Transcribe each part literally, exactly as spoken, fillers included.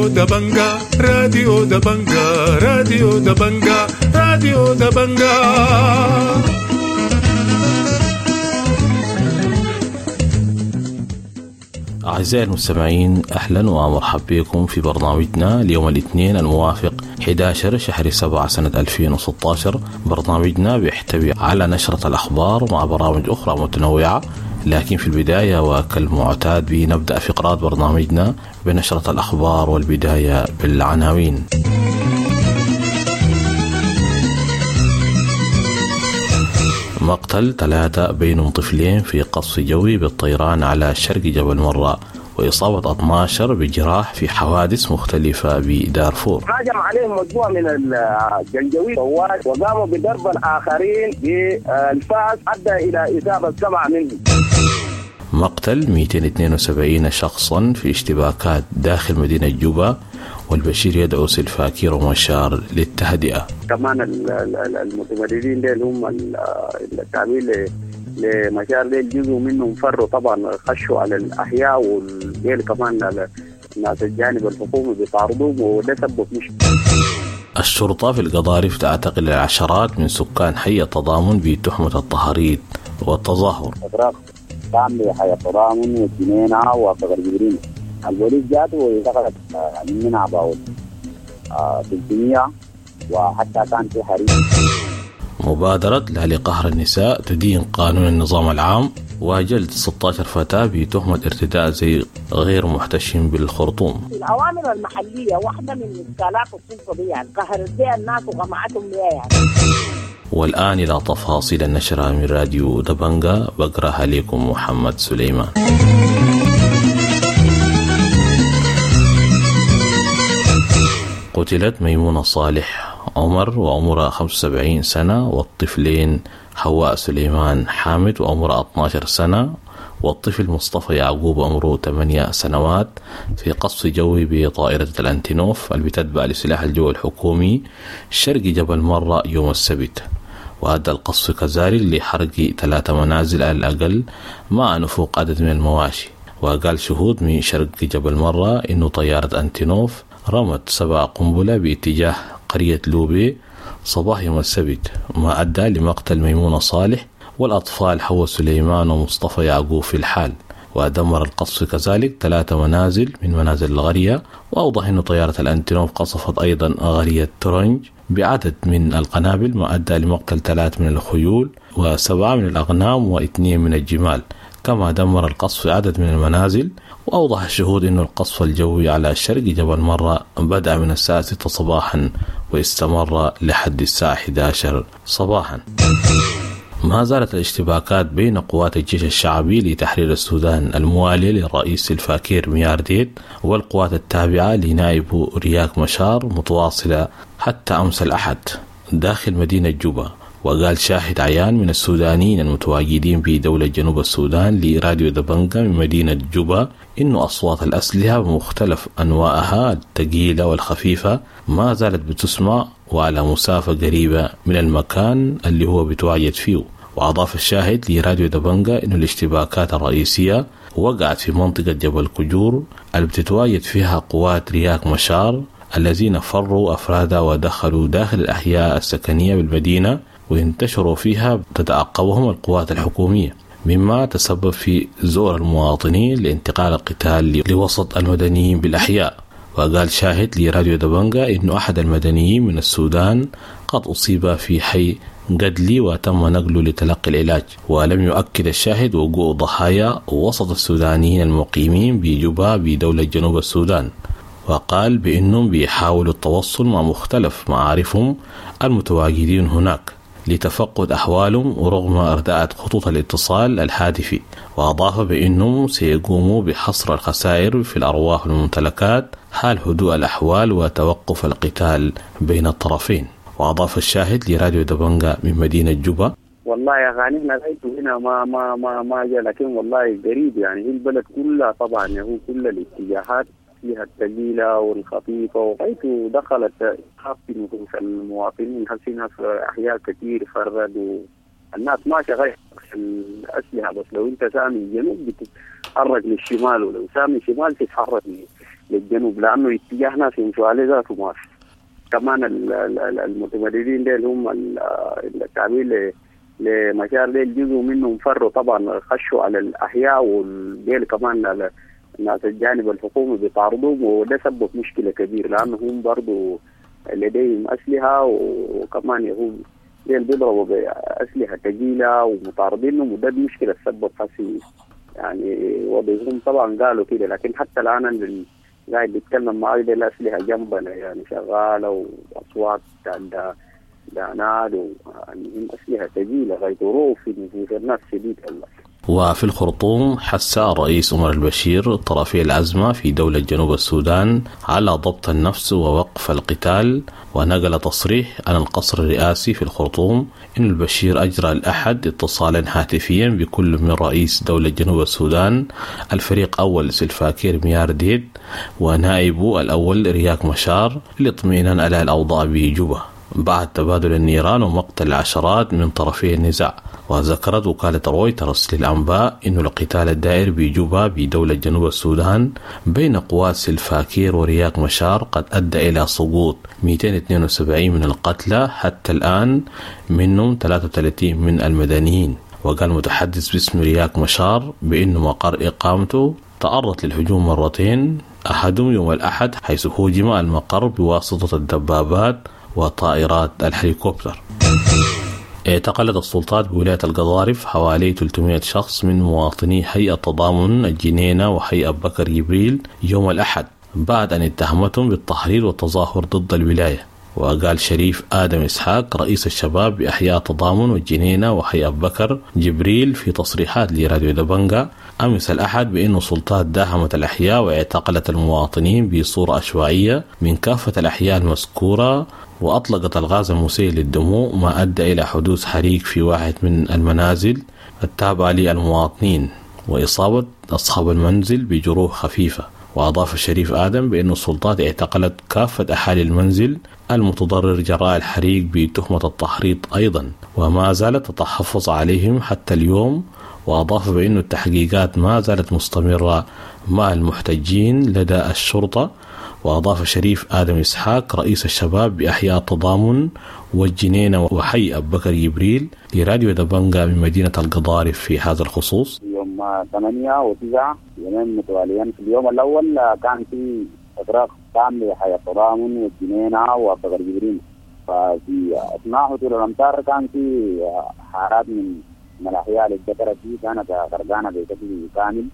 راديو دبنجا، راديو دبنجا، راديو دبنجا، راديو دبنجا. أعزائي المستمعين، أهلا ومرحبا بكم في برنامجنا اليوم الاثنين الموافق أحد عشر شهر سبعة سنة ألفين وستة عشر. برنامجنا بيحتوي على نشرة الأخبار مع برامج أخرى متنوعة، لكن في البداية وكالمعتاد بنبدأ فقرات برنامجنا بنشرة الأخبار، والبداية بالعناوين. مقتل ثلاثة بينهم طفلين في قصف جوي بالطيران على شرق جبل مرة، وإصابة اثني عشر بجراح في حوادث مختلفة بدارفور. هاجم عليهم مجموعة من الجنجويد وقاموا بضرب الآخرين بالفاس أدى إلى إصابة سبعة منهم. مقتل مئتين واثنين وسبعين شخصا في اشتباكات داخل مدينة جوبا، والبشير يدعو سلفاكير ومشار للتهدئة. كمان المتمردين ديل هم التابعين لمشار ديل جزء منهم فروا طبعا، خشوا على الأحياء، والديل كمان الناس الجانب الحكومي بيطاردوهم وده سبب مشكلة. الشرطة في القضارف تعتقل العشرات من سكان حي التضامن بتهمة التهريج والتظاهر. كان لحي التضامن والجنينة وصغر جبرين، البوليس جات ودخلت مننا about ثلاثمية، وحتى كان في حريق. مبادرة لا لقهر النساء تدين قانون النظام العام، وجلد ستة عشر فتاة بتهمة ارتداء زي غير محتشم بالخرطوم. الأوامر المحلية واحدة من إشكالات السلطة دي، يعني قهرت بها الناس وقمعتهم بها يعني. والآن إلى تفاصيل النشرة من راديو دبنجا، بقرأها لكم محمد سليمان. قتلت ميمونة صالح عمر وعمرها خمسة وسبعين سنة، والطفلين حواء سليمان حامد وعمرها اثني عشر سنة، والطفل مصطفى يعقوب عمره ثمانية سنوات في قصف جوي بطائرة الأنتينوف اللي بتتبع لسلاح الجو الحكومي شرق جبل مرة يوم السبت. وأدى القصف كذلك لحرق ثلاثة منازل على الأقل مع نفوق عدد من المواشي. وقال شهود من شرق جبل مرة إنه طيارة أنتينوف رمت سبع قنبلة باتجاه قرية لوبي صباح يوم السبت، ما أدى لمقتل ميمونة صالح والأطفال حواء سليمان ومصطفى يعقوب في الحال. ودمر القصف كذلك ثلاثة منازل من منازل الغرية. وأوضح أن طيارة الأنتينوف قصفت أيضا غرية ترنج بعدد من القنابل، ما أدى لمقتل ثلاث من الخيول وسبعة من الأغنام واثنين من الجمال. كما دمر القصف عدد من المنازل. وأوضح الشهود أن القصف الجوي على شرق جبل مرة بدأ من الساعة ستة صباحا واستمر لحد الساعة إحدى عشرة صباحا. ما زالت الاشتباكات بين قوات الجيش الشعبي لتحرير السودان الموالي للرئيس سلفاكير ميارديت والقوات التابعة لنائب رياك مشار متواصلة حتى أمس الأحد داخل مدينة جوبا. وقال شاهد عيان من السودانيين المتواجدين في دولة جنوب السودان لراديو دبنجا من مدينة جوبا إنه أصوات الأسلحة بمختلف أنواعها الثقيلة والخفيفة ما زالت بتسمع وعلى مسافة قريبة من المكان اللي هو بتواجد فيه. وأضاف الشاهد لراديو دبنجا إنه الاشتباكات الرئيسية وقعت في منطقة جبل كجور اللي بتتواجد فيها قوات رياك مشار الذين فروا أفرادا ودخلوا داخل الأحياء السكنية بالمدينة وانتشروا فيها تتعقبهم القوات الحكومية، مما تسبب في زور المواطنين لانتقال القتال لوسط المدنيين بالأحياء. وقال شاهد لراديو دبنجا إنه أحد المدنيين من السودان قد أصيب في حي قدلي وتم نقله لتلقي العلاج. ولم يؤكد الشاهد وقوع ضحايا وسط السودانيين المقيمين بجوبا بدولة جنوب السودان. وقال بأنهم بيحاولوا التوصل مع مختلف معارفهم المتواجدين هناك لتفقد أحوالهم ورغم أرداءة خطوط الاتصال الهاتفي. وأضاف بأنهم سيقوموا بحصر الخسائر في الأرواح والممتلكات حال هدوء الأحوال وتوقف القتال بين الطرفين. وأضاف الشاهد لراديو دبنجا من مدينة جوبا: والله يا غاني احنا لقيته هنا ما ما ما ما جا، لكن والله قريب يعني، هي البلد كلها طبعا هو كل الاتجاهات فيها الثقيلة والخفيفة، وغايته دخلت في نفوس المواطنين، في ناس أحياء كثير فردوا الناس ما شغال الأسلحة، بس لو أنت سامي الجنوب تتحرك للشمال، ولو سامي شمال تتحرك للجنوب، لأنه اتجاه ناس يمشوا عليه ذاته ما في. كمان المتمردين ديل هم التعبير لمشار ديل جزء منهم فروا طبعا، خشوا على الأحياء، والديل كمان الناس الجانب الحكومي بيطاردوهم، وده سبب مشكلة كبيرة لأنه هم برضو لديهم أسلحة، وكمان هم ديل بيضربوا بأسلحة ثقيلة ومطاردينهم، وده مشكلة تسبب حسي يعني وضعهم. طبعا قالوا كده، لكن حتى الآن قاعد بيتكلم معي دي الأسلحة جنبنا يعني شغالة، وأصوات دا دانات، والمهم أسلحة ثقيلة غير في نفوس الناس شديد والله. وفي الخرطوم حث الرئيس عمر البشير طرفي الأزمة في دولة جنوب السودان على ضبط النفس ووقف القتال، ونقل تصريح عن القصر الرئاسي في الخرطوم إن البشير أجرى الأحد اتصالا هاتفيا بكل من رئيس دولة جنوب السودان الفريق أول سلفاكير ميارديت ونائبه الأول رياك مشار للاطمئنان على الأوضاع بجوبا بعد تبادل النيران ومقتل العشرات من طرفي النزاع. وذكرت وكالة رويترز للأنباء أن القتال الدائر بجوبا بدولة جنوب السودان بين قوات سلفاكير ورياك مشار قد أدى إلى سقوط مئتين واثنين وسبعين من القتلى حتى الآن، منهم ثلاثة وثلاثين من المدنيين. وقال متحدث باسم رياك مشار بأنه مقر إقامته تعرض للهجوم مرتين، أحدهم يوم الأحد حيث هوجم المقر بواسطة الدبابات وطائرات الهليكوبتر. اعتقلت السلطات بولاية القضارف حوالي ثلاثمائة شخص من مواطني هيئة تضامن الجنينة وحي أبو بكر جبريل يوم الأحد بعد أن اتهمتهم بالتحريض والتظاهر ضد الولاية. وقال شريف آدم إسحاق رئيس الشباب بأحياء تضامن والجنينة وحي أبو بكر جبريل في تصريحات لراديو دبنجا أمس الأحد بأن السلطات داهمت الأحياء واعتقلت المواطنين بصورة عشوائية من كافة الأحياء المذكورة، وأطلقت الغاز المسيل للدموع ما أدى إلى حدوث حريق في واحد من المنازل التابعة للمواطنين وإصابة أصحاب المنزل بجروح خفيفة. وأضاف الشريف آدم بأن السلطات اعتقلت كافة أهالي المنزل المتضرر جراء الحريق بتهمة التحريض أيضا، وما زالت تتحفظ عليهم حتى اليوم. وأضاف بأن التحقيقات ما زالت مستمرة مع المحتجين لدى الشرطة. وأضاف شريف آدم إسحاق رئيس الشباب بأحياء التضامن والجنينة وحي أبو بكر جبريل لراديو دبنجا من مدينة القضارف في هذا الخصوص. يوم ثمانية وتسعة يومين متواليين. في اليوم الأول كان في إغراق تام لحي التضامن والجنينة وأبو بكر جبريل، ففي أثناء هطول الأمطار كان في حارات من من الأحياء اللي اتذكرت دي كانت غرقانة بشكل كامل،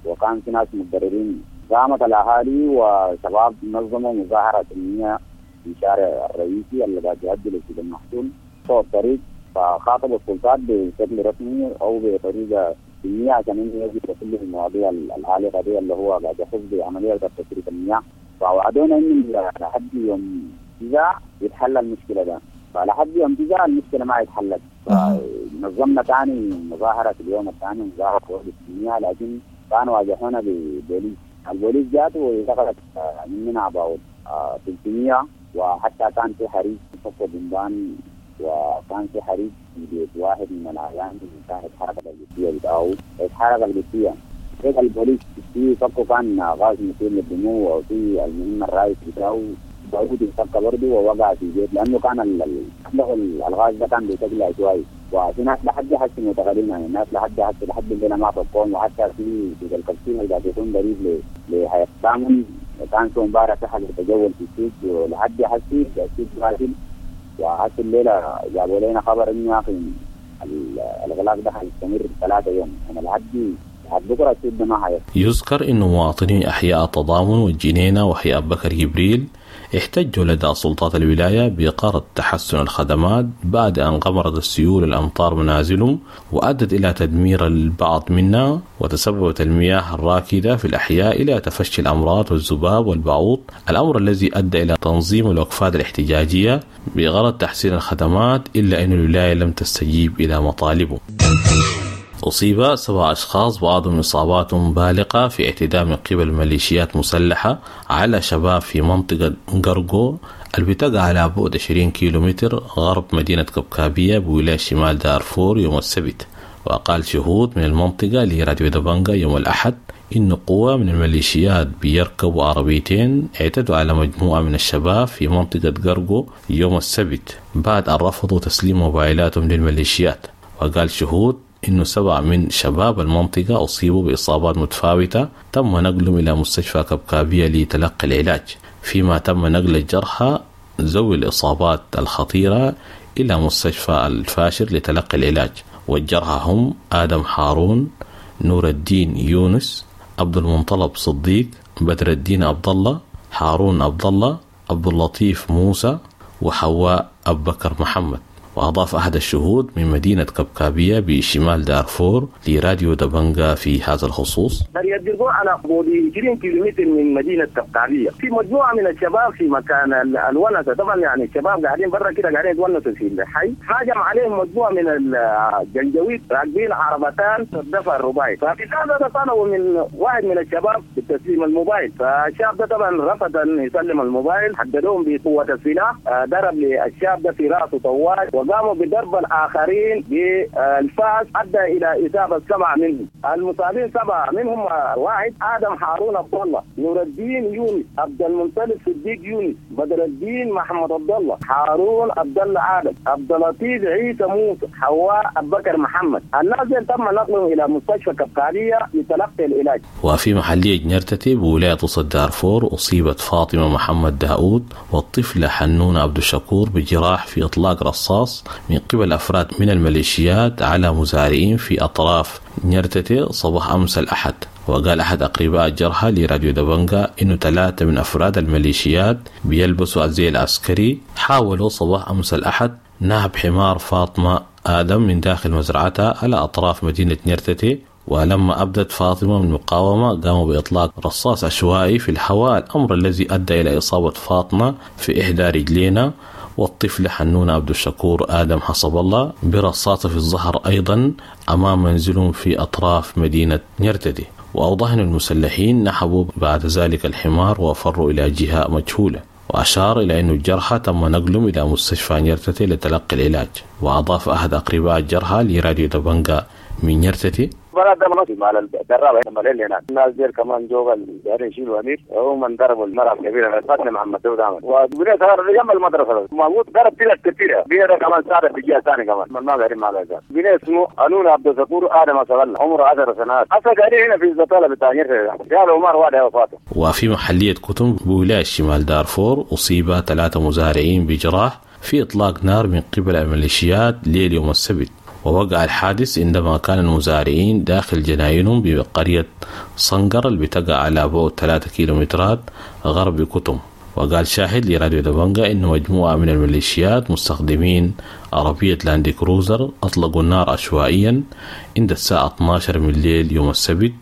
وكان في ناس متضررين. قامت الأهالي وشباب نظموا مظاهرة سلمية في الشارع الرئيسي اللي قاعد يؤدي لسوق المحصول فوق الطريق، فخاطبوا السلطات بشكل رسمي أو بطريقة سلمية عشان إنه يجب كل المواضيع العالقة دي اللي هو قاعد يخص بعملية تصريف المياه. فوعدونا إنه لحد يوم تسعة يتحل المشكلة ده، فلحد يوم تسعة المشكلة ما اتحلت. فنظمنا ثاني مظاهرة في اليوم الثاني مظاهرة سلمية، لكن كانوا واجهونا ببوليس. البوليس جات ودخلت مننا about ثلاثمية، وحتى كان في حريق في بمبان، وكان في حريق في بيت واحد من الأعيان كان اتحرق الجثية بتاعه، اتحرق الجثية. هيك البوليس في فكوا كان غاز مثير للدموع، وفي المهم الرئيس بتاعه داود انفك برضه ووقع في بيت، لأنه كان الغاز ده كان بشكل عشوائي. وفي ناس لحد حسي معتقلين، يعني الناس لحد حسي لحد الليله ما فكوهم. وحتى في في الكبسين اللي قاعد يكون قريب لحياة الثامن كان في امبارح في حاجه تجول في السوق، ولحد حسي السوق قافل. وحسي الليله جابوا لنا خبر انه يا اخي الاغلاق ده حيستمر ثلاثة يوم، يعني لحد بكره السوق ده ما حيفتح. يذكر انه مواطني احياء التضامن والجنينه وحي ابو بكر جبريل احتجوا لدى سلطات الولاية بإقارة تحسن الخدمات بعد أن غمرت السيول الأمطار منازلهم وأدت إلى تدمير البعض منها، وتسببت المياه الراكدة في الأحياء إلى تفشي الأمراض والذباب والبعوض، الأمر الذي أدى إلى تنظيم الوقفات الاحتجاجية بغرض تحسين الخدمات، إلا أن الولاية لم تستجيب إلى مطالبه. أصيب سبع أشخاص بعضهم إصابات بالغة في اعتداء من قبل ميليشيات مسلحة على شباب في منطقة قرقو اللي بتقع على بعد عشرين كيلومتر غرب مدينة كبكابية بولاية شمال دارفور يوم السبت. وقال شهود من المنطقة لراديو دبنجا يوم الأحد إن قوة من الميليشيات بيركبوا عربيتين اعتدوا على مجموعة من الشباب في منطقة قرقو يوم السبت بعد أن رفضوا تسليم موبايلاتهم للميليشيات. وقال شهود إنه سبعة من شباب المنطقة أصيبوا بإصابات متفاوتة تم نقلهم إلى مستشفى كبكابية لتلقي العلاج، فيما تم نقل الجرحى ذوي الإصابات الخطيرة إلى مستشفى الفاشر لتلقي العلاج. والجرحى هم آدم حارون، نور الدين يونس، عبد المنطلب صديق، بدر الدين عبد الله، هارون عبد الله، عبد اللطيف موسى، وحواء أبو بكر محمد. وأضاف أحد الشهود من مدينة كبكابية بشمال دارفور لراديو دبنجا في هذا الخصوص: قرية ديرجو على بعد عشرين كيلومتر من مدينة كبكابية، في مجموعة من الشباب في مكان الونسة، طبعا يعني الشباب قاعدين برا كده قاعدين يتونسوا في الحي، هاجم عليهم مجموعة من الجنجويد راكبين عربتان الدفع الرباعي، ففي هذا طلبوا من واحد من الشباب بتسليم الموبايل، فالشاب ده طبعا رفض أن يسلم الموبايل، حددوهم بقوة السلاح، ضرب للشاب ده في رأسه طوال، وقاموا بضرب الآخرين بالفاس أدى إلى إصابة سبعة منهم. المصابين سبعة منهم واحد آدم هارون عبد الله، نور الدين يونس، عبد المنطلب صديق يونس، بدر الدين محمد عبد الله، هارون عبد الله آدم، عبد اللطيف عيسى موسى، حواء أبو بكر محمد. الناس تم نقلهم إلى مستشفى كبكابية لتلقي العلاج. وفي محلية جنرتتي بولاية وسط دارفور أصيبت فاطمة محمد داود والطفلة حنون عبد الشكور بجراح في إطلاق رصاص من قبل أفراد من الميليشيات على مزارعين في أطراف نيرتتي صباح أمس الأحد. وقال أحد أقرباء الجرحى لراديو دبنجا إنه ثلاثة من أفراد الميليشيات بيلبسوا الزي العسكري حاولوا صباح أمس الأحد نهب حمار فاطمة آدم من داخل مزرعتها على أطراف مدينة نيرتتي، ولما أبدت فاطمة من مقاومة قاموا بإطلاق رصاص عشوائي في الهواء، الأمر الذي أدى إلى إصابة فاطمة في إحدى رجلينا والطفل حنون عبد الشكور آدم حسب الله برصاصة في الظهر أيضا أمام منزلهم في أطراف مدينة نيرتدي. وأوضح أن المسلحين نحبوا بعد ذلك الحمار وفروا إلى جهة مجهولة. وأشار إلى أن الجرحى تم نقلهم إلى مستشفى نيرتتي لتلقي العلاج. وأضاف أحد أقرباء الجرحى لراديو دبنجا من نيرتتي: بلد ده مناطق مع الدرابة هنا مليل هناك الناس ديل كمان جوغل دارين يشيلوا أمير هم ضربوا المرأة الكبيرة فاطمة محمد داود عمل وبنيت جنب المدرسة موجود ضرب تلك كثيرة بنيت كمان صار في جهة ثانية كمان ما قاعدين مع الأزال بنيت اسمه أنون عبد الشكور آدم صغلنا عمره عشر سنوات أصلا قاعدين هنا في الزطالة بتاع قالوا عمر واحد وفاته. وفي محلية كتم بولاية شمال دارفور أصيب ثلاثة مزارعين بجراح في إطلاق نار من قبل الميليشيات ليل يوم السبت. ووقع الحادث عندما كان المزارعين داخل جناينهم بقرية صنقر اللي بتقع على بعد ثلاثة كيلومترات غرب كتم. وقال شاهد لراديو دبنجا إن مجموعة من الميليشيات مستخدمين عربية لاند كروزر أطلقوا النار عشوائيا عند الساعة اثنا عشر من الليل يوم السبت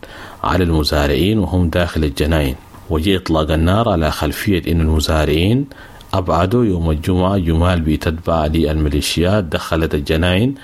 على المزارعين وهم داخل الجناين. وجاء إطلاق النار على خلفية إن المزارعين أبعدوا يوم الجمعة جمال بتتبع للميليشيات دخلت الجناين،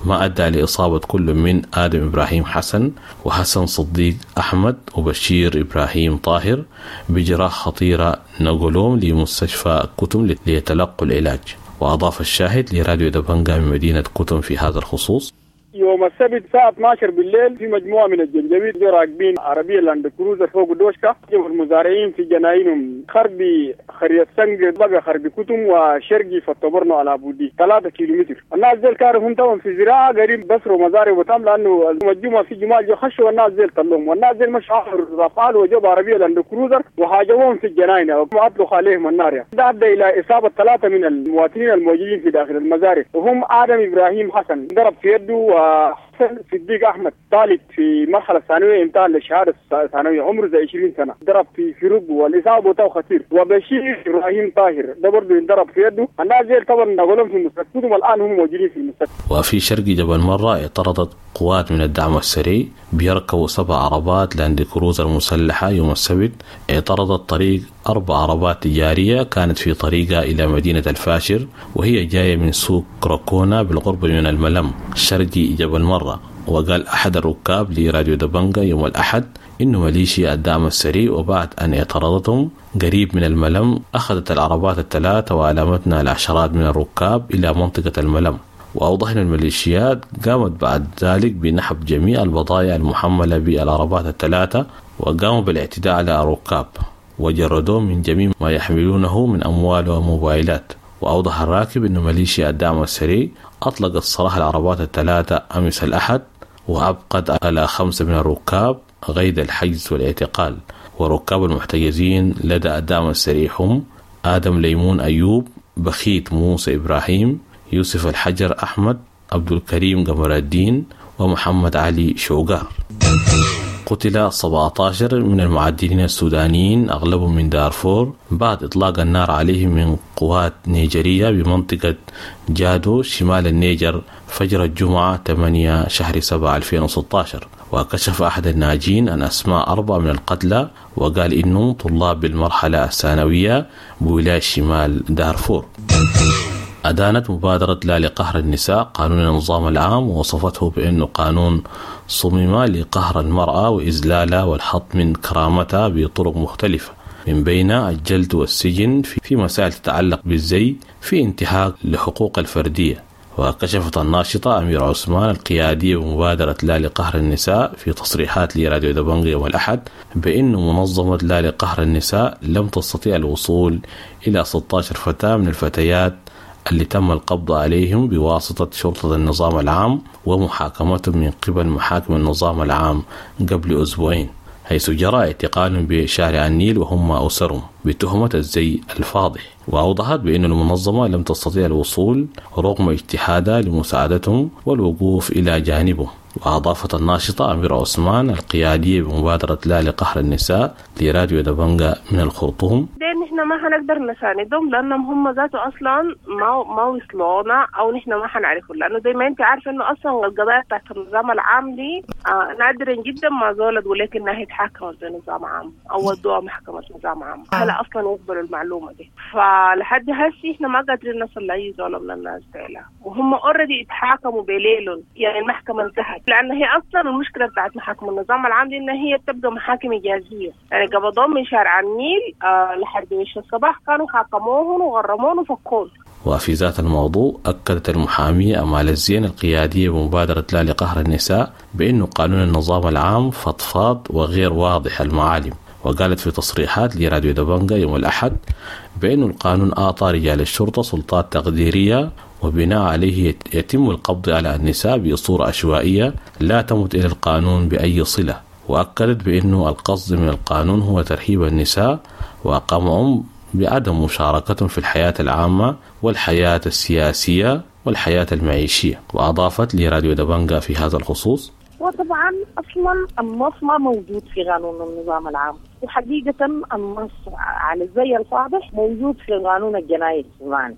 ما أدى لإصابة كل من آدم إبراهيم حسن وحسن صديق أحمد وبشير إبراهيم طاهر بجراح خطيرة نقلوهم لمستشفى كتم ليتلقوا العلاج. وأضاف الشاهد لراديو دبنجا من مدينة كتم في هذا الخصوص: يوم السبت الساعة اثنا عشر بالليل في مجموعة من الجنجويد راكبين عربية لاند كروزر فوق دوشكا المزارعين في جناينهم خربي خرية سنج بقى خربي كتم وشرقي فطبرنا على بودي ثلاثة كيلومتر. الناس ديل كانوا هم طبعا في زراعة قريب بسروا مزارع وتم لأنه المجموعة في جمال جو خشوا والناس ديل طلهم والناس ديل مش عارف وجوب عربية لاند كروزر وهاجموهم في الجناين وأطلقوا عليهم النار. يعني ده أدى إلى إصابة ثلاثة من المواطنين الموجودين في داخل المزارع وهم آدم إبراهيم حسن ضرب في يده، حسن صديق احمد طالب في مرحلة ثانوية امتحان للشهادة الثانوية عمره زي عشرين سنة ضرب في في ركبه والاصابه بتاعه خطير، وبشير ابراهيم طاهر ده برضه انضرب في يده. الناس دي طبعا نقولهم في المستشفى والان هم موجودين في المستشفى. وفي شرق جبل مرة اعترضت قوات من الدعم السريع بيركبوا سبع عربات لاند كروزر مسلحة يوم السبت اعترضت طريق أربع عربات تجارية كانت في طريقها إلى مدينة الفاشر وهي جاية من سوق كراكونا بالقرب من الملم شرقي جبل مرة. وقال أحد الركاب لراديو دبنجا يوم الأحد إنه ميليشيا الدعم السريع وبعد أن اعترضتهم قريب من الملم أخذت العربات الثلاثة وألمتنا العشرات من الركاب إلى منطقة الملم. وأوضح أن الميليشيات قامت بعد ذلك بنحب جميع البضائع المحملة بالعربات الثلاثة، وقاموا بالاعتداء على الركاب وجردوهم من جميع ما يحملونه من أموال وموبايلات. وأوضح الراكب أن ميليشيا الدعم السريع أطلقت سراح العربات الثلاثة أمس الأحد، وأبقت على خمسة من الركاب قيد الحجز والاعتقال. وركاب المحتجزين لدى الدعم السريع هم آدم ليمون أيوب، بخيت موسى إبراهيم، يوسف الحجر أحمد، عبد الكريم قمر الدين، ومحمد علي شوقار. قتل سبعة عشر من المعدنين السودانيين أغلبهم من دارفور بعد إطلاق النار عليهم من قوات نيجرية بمنطقة جادو شمال النيجر فجر الجمعة ثمانية شهر سبعة ألفين وستة عشر. وكشف أحد الناجين عن أسماء أربعة من القتلى وقال إنهم طلاب بالمرحلة الثانوية بولاية شمال دارفور. أدانت مبادرة لا لقهر النساء قانون النظام العام ووصفته بأنه قانون صمم لقهر المرأة وإذلالها والحط من كرامتها بطرق مختلفة، من بين الجلد والسجن في مسائل تتعلق بالزي في انتهاك لحقوق الفردية. وكشفت الناشطة أمير عثمان القيادية بمبادرة لا لقهر النساء في تصريحات لراديو دبنقا يوم الأحد بأن منظمة لا لقهر النساء لم تستطيع الوصول إلى ستة عشر فتاة من الفتيات اللي تم القبض عليهم بواسطة شرطة النظام العام ومحاكمتهم من قبل محاكم النظام العام قبل أسبوعين، حيث جرى اعتقالهم بشارع النيل وهم أسرهم بتهمة الزي الفاضح. وأوضحت بأن المنظمة لم تستطيع الوصول رغم اجتهادها لمساعدتهم والوقوف إلى جانبهم. وأضافت الناشطة أميرة عثمان القيادية بمبادرة لا لقهر النساء لراديو دبنقا من الخرطوم: نحن ما حنقدر نساندهم لأنهم هم ذاته أصلا ما ما وصلونا أو نحن ما حنعرفهم، لأنه زي ما أنت عارفة إنه أصلا القضايا بتاعت النظام العام دي آه نادرا جدا ما زولت ولكنها هي اتحاكمت بنظام عام أو ودوها محكمة نظام عام، هلا أصلا يقبلوا المعلومة دي. فلحد هسي إحنا ما قادرين نصل لأي زولة من الناس ديلا، وهم أوريدي اتحاكموا بليلهم، يعني المحكمة انتهت، لأن هي أصلا المشكلة بتاعت محاكم النظام العام دي إن هي بتبقى محاكم إجازية، يعني قبضوهم من شارع النيل آه لحد وش الصباح كانوا حاكموهم وغرموهم وفكوهم. وفي ذات الموضوع أكدت المحامية أمال الزين القيادية بمبادرة لا لقهر النساء بأنه قانون النظام العام فضفاض وغير واضح المعالم، وقالت في تصريحات لراديو دبنقا يوم الأحد بأن القانون أعطى رجال الشرطة سلطات تقديرية وبناء عليه يتم القبض على النساء بصورة عشوائية لا تمت إلى القانون بأي صلة. وأكدت بأنه القصد من القانون هو ترهيب النساء وقمعهم بعدم مشاركتهم في الحياة العامة والحياة السياسية والحياة المعيشية. وأضافت لراديو دبنقا في هذا الخصوص: وطبعا أصلا النص ما موجود في قانون النظام العام، وحقيقة النص على الزي الفاضح موجود في القانون الجنائي السوداني.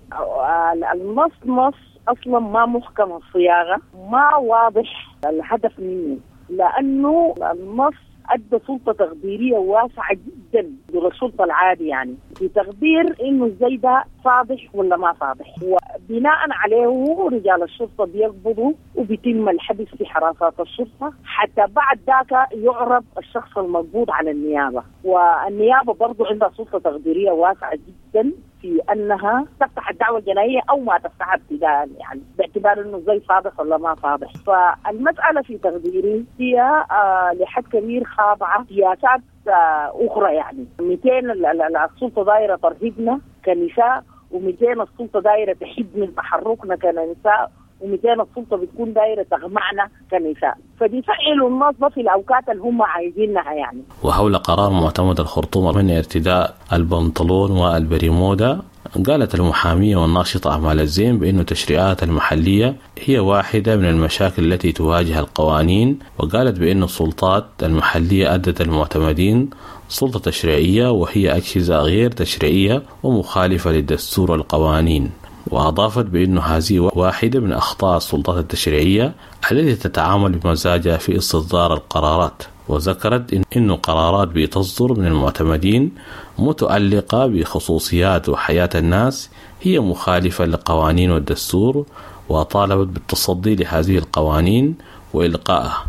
النص نص أصلا ما محكم الصياغة، ما واضح الهدف منه، لأنه النص أدى سلطة تقديرية واسعة جدا دون السلطة العادي، يعني في تقدير إنه الزي ده فاضح ولا ما فاضح، وبناء عليه رجال الشرطة بيقبضوا وبيتم الحبس في حراسات الشرطة حتى بعد ذاك يعرض الشخص المقبوض على النيابة. والنيابة برضو عندها سلطة تقديرية واسعة جدا في أنها تفتح الدعوة الجنائية أو ما تفتحها ابتداء، يعني باعتبار إنه زي فاضح ولا ما فاضح. فالمسألة في تقديري هي آه لحد كبير خاضعة سياسات آه أخرى، يعني مئتين السلطة دايرة ترهيبنا كنساء، ومئتين السلطة دايرة تحد من تحركنا كنساء، ومئتين السلطة بتكون دايرة تغمعنا كنساء، فبيفعلوا النص في الأوقات اللي هم عايزينها يعني. وحول قرار معتمد الخرطوم من ارتداء البنطلون والبريمودا، قالت المحامية والناشطة أمال الزين بأن التشريعات المحلية هي واحدة من المشاكل التي تواجه القوانين، وقالت بأن السلطات المحلية أدت المعتمدين سلطة تشريعية وهي أجهزة غير تشريعية ومخالفة للدستور والقوانين. وأضافت بأن هذه واحدة من أخطاء السلطات التشريعية التي تتعامل بمزاجها في استصدار القرارات. وذكرت إن قرارات بتصدر من المعتمدين متعلقة بخصوصيات وحياة الناس هي مخالفة للقوانين والدستور، وطالبت بالتصدي لهذه القوانين وإلقائها.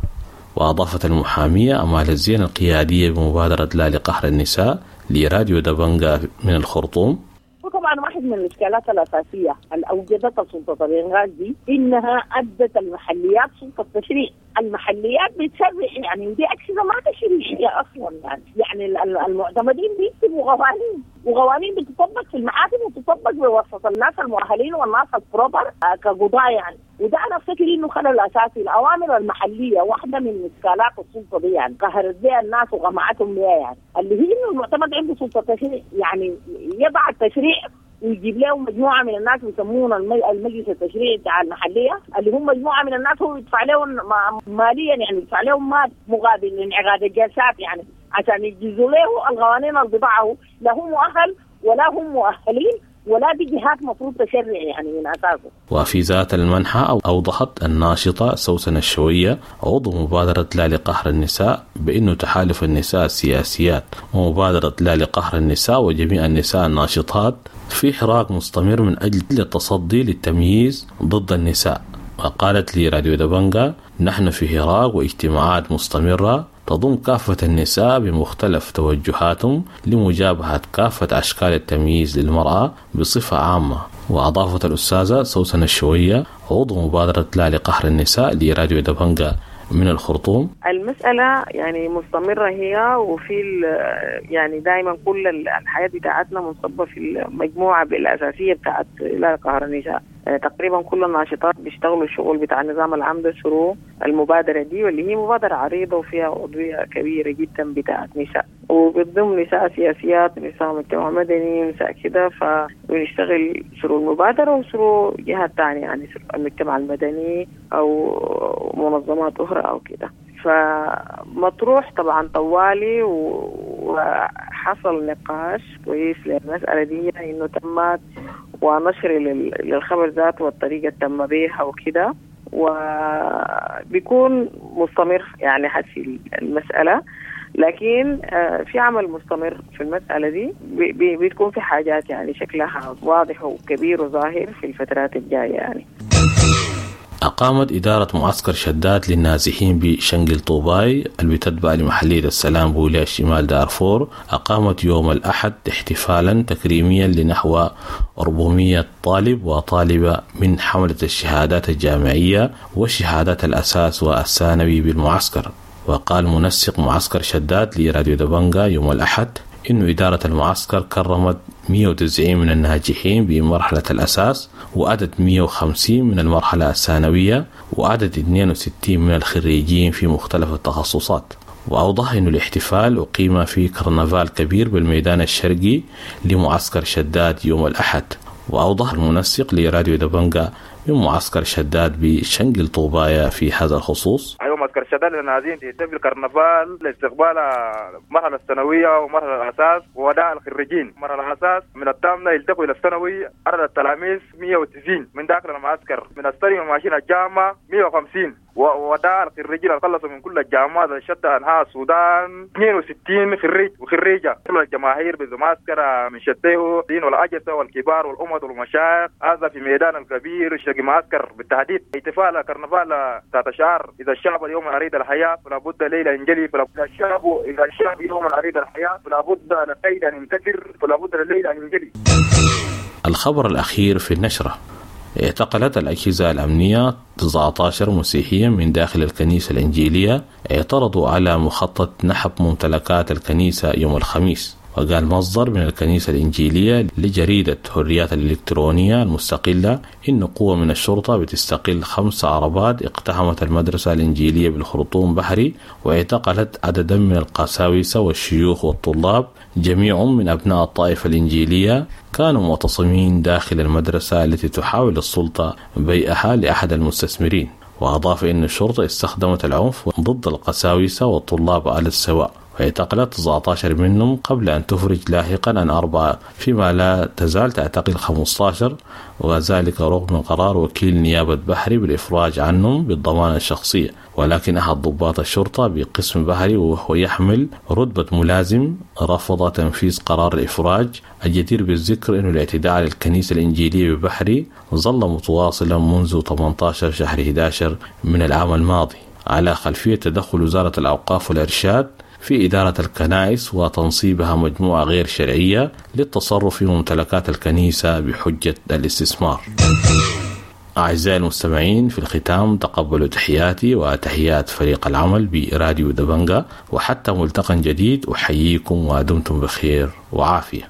وأضافت المحامية أمال الزين القيادية بمبادرة لا لقهر النساء لراديو دبنقا من الخرطوم: طبعا واحد من الإشكالات الأساسية اللي أوجدتها سلطة الإنقاذ دي إنها أدت المحليات سلطة تشريع. المحليات بتشرع يعني، ودي أجهزة ما تشريعية أصلا يعني، يعني المعتمدين بيكتبوا قوانين، وقوانين بتطبق في المحاكم وتطبق بواسطة الناس المؤهلين والناس البروبر كقضاء يعني. وده أنا أفتكر إنه خلل أساسي. الأوامر المحلية واحدة من إشكالات السلطة دي يعني، قهرت بها الناس وغمعتهم بها يعني، اللي هي إنه المعتمد عنده سلطة تشريع يعني، يضع التشريع ويجيب لهم مجموعة من الناس بيسمون المجلس التشريعي بتاع المحلية، اللي هم مجموعة من الناس هو يدفع لهم ماليا يعني، يدفع لهم مال مقابل انعقاد الجلسات يعني، عشان يجيزوا له القوانين اللي بضعه، لا هم مؤهل ولا هم مؤهلين ولا دي جهات مفروض تشرع يعني من أساسه. وفي ذات المنحى أوضحت الناشطة سوسن الشوية عضو مبادرة لا لقهر النساء بأنه تحالف النساء السياسيات ومبادرة لا لقهر النساء وجميع النساء الناشطات في حراك مستمر من أجل التصدي للتمييز ضد النساء. وقالت لي راديو دبنجا: نحن في حراك واجتماعات مستمرة تضم كافة النساء بمختلف توجهاتهم لمجابهة كافة أشكال التمييز للمرأة بصفة عامة. وأضافت الأستاذة سوسن الشوية عضو مبادرة لا لقهر النساء لراديو دبنجا من الخرطوم: المسألة يعني مستمرة هي، وفي يعني دائما كل الحياة بتاعتنا منصبة في المجموعة الأساسية بتاعت لا لقهر النساء. تقريبا كل الناشطات بيشتغلوا الشغل بتاع النظام العام ده شروع المبادرة دي، واللي هي مبادرة عريضة وفيها عضوية كبيرة جدا بتاعت نساء، وبتضم نساء سياسيات، نساء مجتمع مدني، نساء كده. فبنشتغل شروع المبادرة وشروع جهات تانية يعني المجتمع المدني أو منظمات أخرى أو كده. فمطروح طبعا طوالي، وحصل نقاش كويس للمسألة دي إنه تمت ونشر للخبر ذاته والطريقة تم بيها وكده، وبيكون مستمر يعني حسي المسألة. لكن في عمل مستمر في المسألة دي، بتكون في حاجات يعني شكلها واضح وكبير وظاهر في الفترات الجاية يعني. أقامت إدارة معسكر شداد للنازحين بشنقل طوباي اللي بتتبع لمحلية السلام بولاية شمال دارفور، أقامت يوم الأحد احتفالا تكريميا لنحو أربعمائة طالب وطالبة من حملة الشهادات الجامعية وشهادات الأساس والثانوي بالمعسكر. وقال منسق معسكر شداد لراديو دبنجا يوم الأحد إنه إدارة المعسكر كرمت مئة وتسعين من الناجحين بمرحلة الأساس، وعدد مئة وخمسين من المرحلة الثانوية، وعدد اثنين وستين من الخريجين في مختلف التخصصات. وأوضح أن الاحتفال أقيم في كرنفال كبير بالميدان الشرقي لمعسكر شداد يوم الأحد. وأوضح المنسق لراديو دبنجا من معسكر شداد بشنقل طوبايا في هذا الخصوص: أيوة، معسكر شداد للنازحين يتم الكرنفال لاستقبال المرحلة الثانوية ومرحلة الأساس ووداع الخريجين. مرحلة الأساس من الثامنة يلتقوا إلى الثانوي، عدد التلاميذ مئة وتسعين من داخل المعسكر، من الثانوي ماشيين الجامعة مئة وخمسين، ووداع الخريجين اللي خلصوا من كل الجامعات شتى أنحاء السودان اثنين وستين خريج وخريجة. كل الجماهير بالمعسكر من شتيه دين والأجهزة والكبار والأمة والمشايخ، هذا في ميدان الكبير شرق معسكر بالتحديد. احتفال كرنفال ذات شعار إذا الشعب اليوم أريد الحياة فلا بد ليلة ينجلي، فلا بد الشعب إذا الشعب يوم أريد الحياة فلا بد لليلة أن ينكسر، فلا بد لليلة أن ينجلي. الخبر الأخير في النشرة: اعتقلت الأجهزة الأمنية تسعة عشر مسيحيا من داخل الكنيسة الإنجيلية اعترضوا على مخطط نحب ممتلكات الكنيسة يوم الخميس. وقال مصدر من الكنيسة الإنجيلية لجريدة حريات الإلكترونية المستقلة إن قوة من الشرطة بتستقل خمس عربات اقتحمت المدرسة الإنجيلية بالخرطوم بحري، واعتقلت عددا من القساوسة والشيوخ والطلاب جميعهم من أبناء الطائفة الإنجيلية كانوا معتصمين داخل المدرسة التي تحاول السلطة بيعها لأحد المستثمرين. وأضاف أن الشرطة استخدمت العنف ضد القساوسة والطلاب على السواء، واعتقلت تسعة عشر منهم قبل أن تفرج لاحقا عن أربعة، فيما لا تزال تعتقل خمسة عشر، وذلك رغم قرار وكيل نيابة بحري بالإفراج عنهم بالضمانة الشخصية. ولكن أحد ضباط الشرطة بقسم بحري وهو يحمل رتبة ملازم رفض تنفيذ قرار الإفراج. الجدير بالذكر أن الاعتداء على الكنيسة الإنجيلية ببحري ظل متواصلا منذ ثمانية عشر شهر أحد عشر من العام الماضي، على خلفية تدخل وزارة الأوقاف والإرشاد في إدارة الكنائس وتنصيبها مجموعة غير شرعية للتصرف في ممتلكات الكنيسة بحجة الاستثمار. أعزائي المستمعين، في الختام تقبلوا تحياتي وتحيات فريق العمل براديو دبنجا، وحتى ملتقى جديد أحييكم ودمتم بخير وعافية.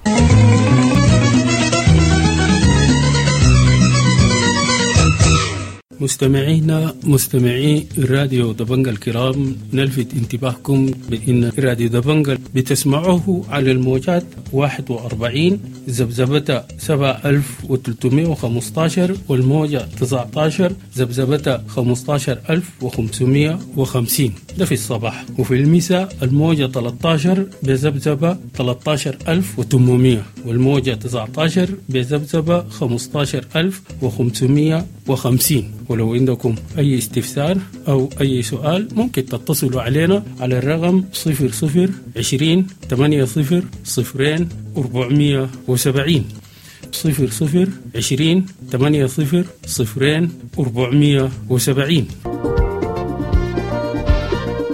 مستمعينا مستمعي راديو دبنجا الكرام، نلفت انتباهكم بأن راديو دبنجا بتسمعوه على الموجات واحد وأربعين ذبذبة سبعة ألف وثلاثمائة وخمسة عشر والموجة تسعة عشر ذبذبة خمسة عشر ألف وخمسمائة وخمسين، ده في الصباح، وفي المساء الموجة ثلاثة عشر بذبذبة ثلاثة عشر ألف وثمانمائة والموجة تسعة عشر بذبذبة خمسة عشر ألف وخمسمائة وخمسين. ولو عندكم أي استفسار أو أي سؤال ممكن تتصلوا علينا على الرقم صفر صفر عشرين ثمانية صفر صفرين أربعمية وسبعين، صفر صفر عشرين ثمانية صفر صفرين أربعمية وسبعين.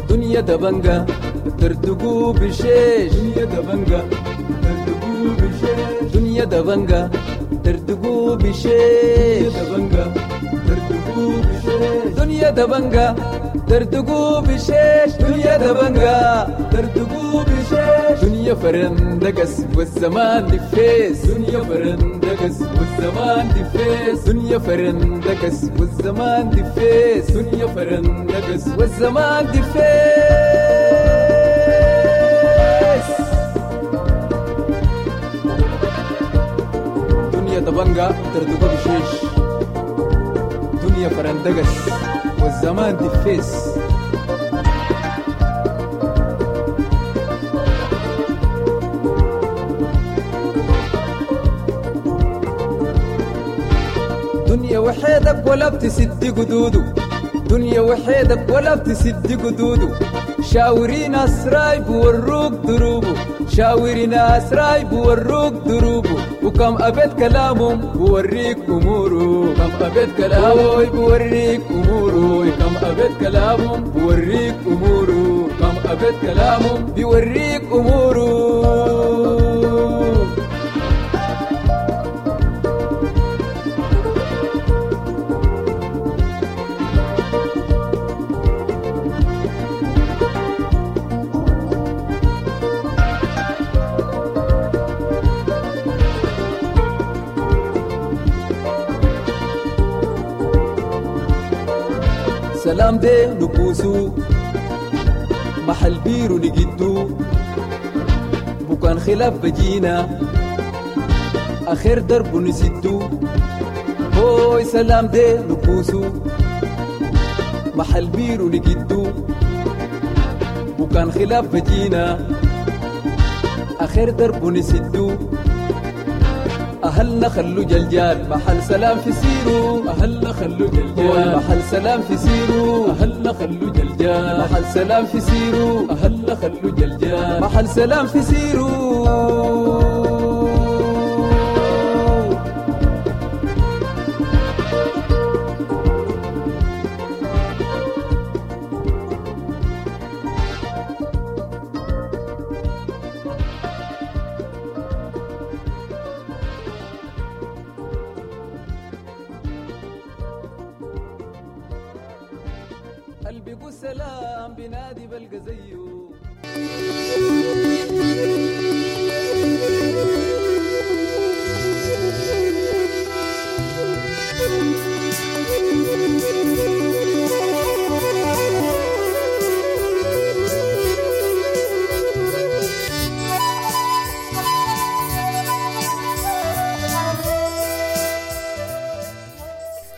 دنيا دبنجة ترتقو بشيش، دنيا دبنجة ترتقو بشيش، دنيا دبنجة ترتقو بشيش، دبنجة ترتقو بشيش، دنيا دبنجة ترتقو بشيش، دنيا دبنجة ترتقو بشيش، دنيا فرندقس والزمان دفيس، دنيا فرندقس والزمان دفيس، دنيا فرندقس والزمان دفيس، دنيا فرندقس والزمان دفيس. دنيا دبنجة ترتقو بشيش، دنيا فرندقس والزمان دفيس. دنيا وحيدك ولا بتسد قدوده، دنيا وحيدك ولا بتسد قدوده، شاوري ناس رايب وروك دروبه، شاوري ناس رايب وروك دروبه، وكم أبيت كلامهم بوريك أموره، كم أبيت كلامه بوريك أموره، كم أبيت كلامهم بوريك أموره، كم أبيت كلامهم بيوريك أموره. سلام دي نبوسو محل بيرو نجدو، بكان خلاف بجينا آخر درب نسدو، هوي سلام دي نبوسو محل بيرو نجدو، بكان خلاف بجينا آخر درب نسدو، أهلنا خلو جلجال محل سلام في سيرو، أهلنا خلو جلجال محل سلام في سيرو، أهلنا خلو جلجال محل سلام في سيرو، أهلنا خلو جلجال محل سلام في سيرو. السلام بنادي بلقى زيه.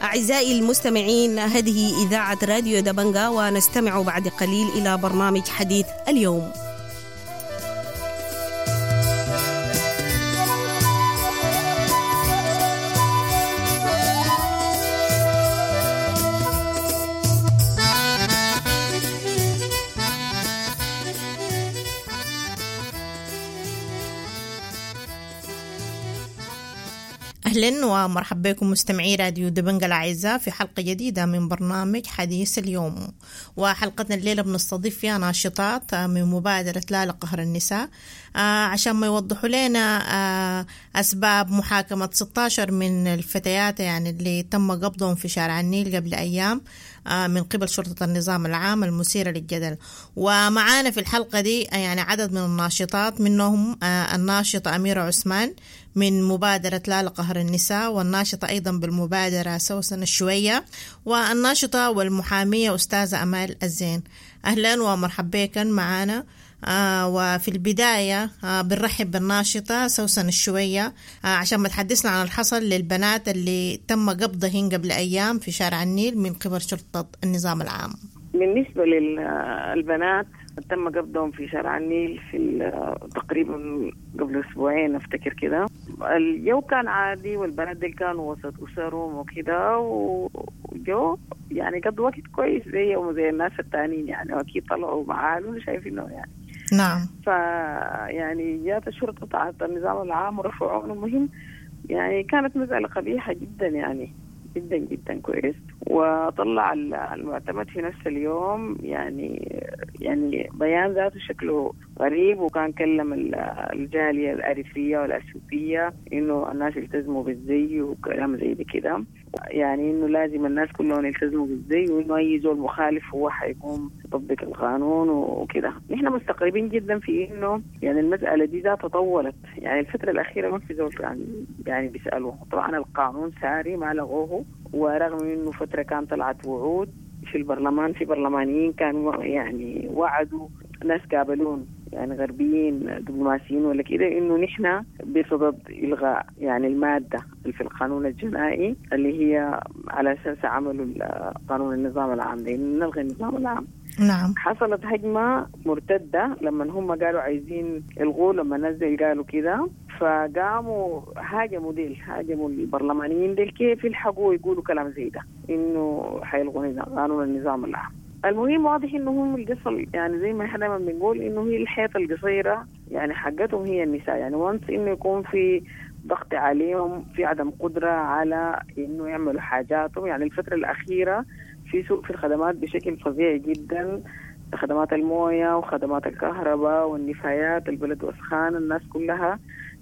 أعزائي المستمعين، هذه إذاعة راديو دبنجا، ونستمع بعد قليل إلى برنامج حديث اليوم. أهلا ومرحبا بكم مستمعي راديو دبنجة الأعزاء في حلقة جديدة من برنامج حديث اليوم. وحلقتنا الليلة بنستضيف فيها ناشطات من مبادرة لا لقهر النساء عشان ما يوضحوا لنا أسباب محاكمة ستة عشر من الفتيات يعني اللي تم قبضهم في شارع النيل قبل أيام من قبل شرطة النظام العام المثيرة للجدل. ومعانا في الحلقة دي يعني عدد من الناشطات، منهم الناشطة أميرة عثمان من مبادرة لا لقهر النساء، والناشطة أيضا بالمبادرة سوسن الشوية، والناشطة والمحامية أستاذة أمال الزين. أهلا ومرحبا بكم معانا. آه وفي البداية آه بنرحب بالناشطة سوسن الشوية آه عشان ما تحدثنا عن الحصل للبنات اللي تم قبضهن قبل أيام في شارع النيل من قبل شرطة النظام العام. بالنسبة للبنات تم قبضهم في شارع النيل في تقريبا قبل أسبوعين أفتكر كده. الجو كان عادي والبنات دي كانوا وسط أسرهم وكده، وجو يعني قضوا وقت كويس زيهم زي الناس التانيين يعني، وأكيد طلعوا مع أهلهم شايفينه يعني. نعم. فيعني جات الشرطة بتاعت النظام العام ورفعوهم. المهم يعني كانت مسألة قبيحة جدا يعني جدا جدا كويس. وطلع المعتمد في نفس اليوم يعني يعني بيان ذاته شكله غريب، وكان كلم الجالية الأريترية والأثيوبية إنه الناس يلتزموا بالزي وكلام زي ده كده، يعني إنه لازم الناس كلهم يلتزموا بالزي، وإنه أي زول مخالف هو حيقوم يطبق القانون وكده. نحن مستغربين جدا في إنه يعني المسألة دي ذاتها طولت، يعني الفترة الأخيرة ما في زول يعني يعني بيسألوه. طبعا القانون ساري ما لغوه، ورغم إنه فترة كان طلعت وعود في البرلمان، في برلمانيين كانوا يعني وعدوا ناس قابلون يعني غربيين دبلوماسيين ولا كده إنه نحن بصدد إلغاء يعني المادة اللي في القانون الجنائي اللي هي على أساس عملوا قانون النظام العام، لأنه نلغي النظام العام. نعم. حصلت هجمة مرتدة لما هم قالوا عايزين يلغوا، لما نزل قالوا كده، فقاموا هاجموا ديل، هاجموا البرلمانيين ديل كيف يلحقوا يقولوا كلام زي ده إنه حيلغوا قانون النظام العام. المهم واضح إنه هم القصة يعني زي ما احنا دايما بنقول إنه هي الحيطة القصيرة يعني حقتهم هي النساء، يعني وانس إنه يكون في ضغط عليهم، في عدم قدرة على إنه يعملوا حاجاتهم. يعني الفترة الأخيرة في سوء في الخدمات بشكل فظيع جدا، خدمات الموية وخدمات الكهرباء والنفايات، البلد وسخان، الناس كلها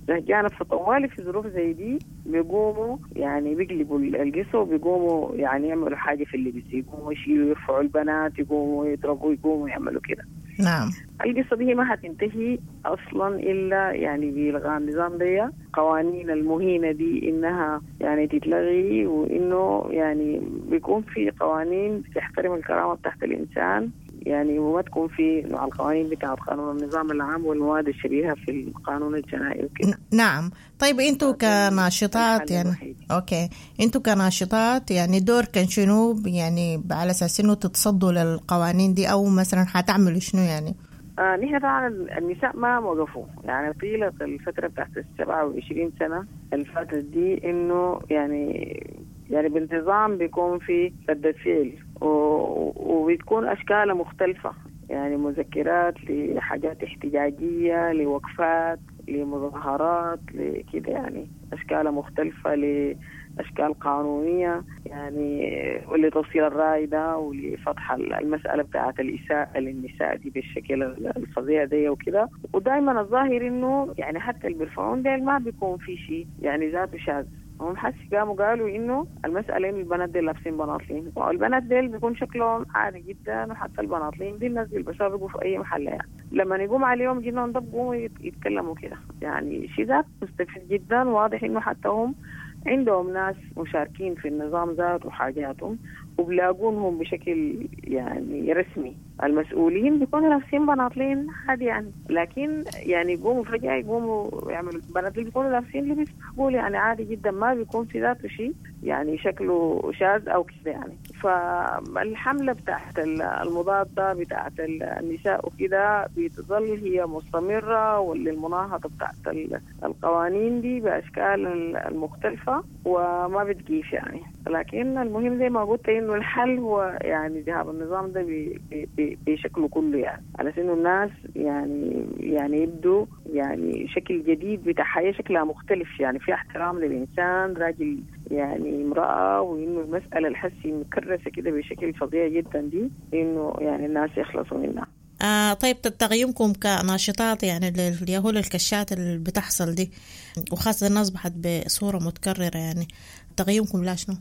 زهجانة. فطوالي في ظروف زي دي بيقوموا يعني بيقلبوا القصة وبيقوموا يعني يعملوا حاجة في اللبس، يقوموا يشيلوا يرفعوا البنات، يقوموا يضربوا، يقوموا يعملوا كده. نعم. القصة دي ما هتنتهي أصلا إلا يعني بإلغاء النظام دي، قوانين المهينة دي إنها يعني تتلغي، وإنه يعني بيكون في قوانين بتحترم الكرامة بتاعت الإنسان يعني، وما تكون في نوع القوانين بتاعت قانون النظام العام والمواد الشبيهة في القانون الجنائي وكده. نعم. طيب انتوا كناشطات يعني okay، انتوا كناشطات يعني دور كان شنو يعني على اساس انه تتصدوا للقوانين دي، او مثلا حتعملوا شنو يعني؟ آه نحن طبعا النساء ما وقفوا يعني طيلة الفترة بتاعت السبعة وعشرين سنة اللي فاتت دي، انه يعني يعني بانتظام بيكون في ردة فعل وبتكون أشكالها مختلفة، يعني مذكرات لحاجات احتجاجية، لوقفات، لمظاهرات، لكده يعني أشكالها مختلفة، لأشكال قانونية يعني، ولتوصيل الرأي ده، ولفتح المسألة بتاعة الإساءة للنساء دي بالشكل الفظيع ده وكده. ودايما الظاهر إنه يعني حتى اللي بيرفعون ده ما بيكون في شيء يعني ذاته شاذ. هم حس قاموا قالوا إنه المسألة إنه البنات دي لابسين بناطلين، والبنات دي بيكون شكلهم عادي جدا، وحتى البناطلين دي الناس بيلبسوها بيقوا في أي محل يعني. لما يقوم عليهم جنون ده بيقوموا يتكلموا كده يعني شيء ذات مستفز جدا. واضح إنه حتى هم عندهم ناس مشاركين في النظام ذات وحاجاتهم، وبلاقونهم بشكل يعني رسمي. المسؤولين بيكونوا لابسين بناطلين عادي يعني، لكن يعني يقوموا فجأة يقوموا يعملوا بناطلين، بيكونوا لابسين لبس معقول يعني عادي جدا، ما بيكون في ذاته شيء يعني شكله شاذ أو كده يعني. فالحملة بتاعت المضادة بتاعت النساء وكده بتظل هي مستمرة، والمناهضة بتاعت القوانين دي بأشكال المختلفة وما بتجيش يعني. لكن المهم زي ما قلت إنه الحل هو يعني ذهاب النظام ده بشكله كله، يعني على انه الناس يعني يعني يبدو يعني شكل جديد بتاع حياة شكلها مختلف، يعني في احترام للإنسان راجل يعني امرأة، وإنه المسألة الحسي مكرسة كده بشكل فظيع جدا دي إنه يعني الناس يخلصوا منها. آه طيب تقييمكم كناشطات يعني اليهول الكشات اللي بتحصل دي، وخاصة إنها أصبحت بصورة متكررة، يعني تقييمكم لا شنو؟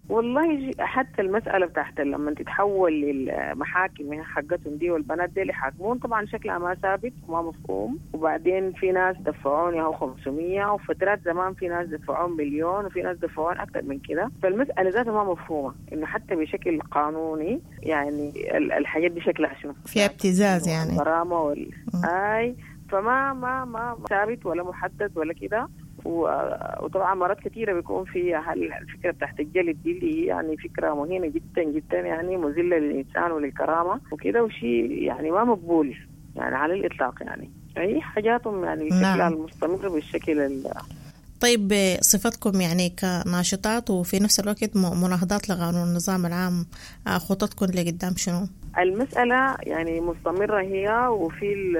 والله حتى المسألة بتاعت لما تتحول للمحاكم حقتهم دي والبنات دي اللي حاكمون طبعا شكلها ما ثابت وما مفهوم، وبعدين في ناس دفعوني هو خمسمية، وفترات زمان في ناس دفعون مليون، وفي ناس دفعون أكثر من كده، فالمسألة ذاتها ما مفهومة إنه حتى بشكل قانوني يعني الحاجات دي شكلها شنو، فيها ابتزاز يعني الغرامة وال آي، فما ما ما ثابت ولا محدد ولا كده. وطبعا مرات كثيرة بيكون في الفكرة بتاعت الجلد دي اللي هي يعني فكرة مهينة جدا جدا، يعني مذلة للإنسان وللكرامة وكده، وشيء يعني ما مقبول يعني على الإطلاق، يعني أي حاجاتهم يعني شكلها المستمر بالشكل ال... طيب صفتكم يعني كناشطات وفي نفس الوقت مناهضات لقانون النظام العام، خططكم لقدام شنو؟ المسألة يعني مستمرة هي، وفي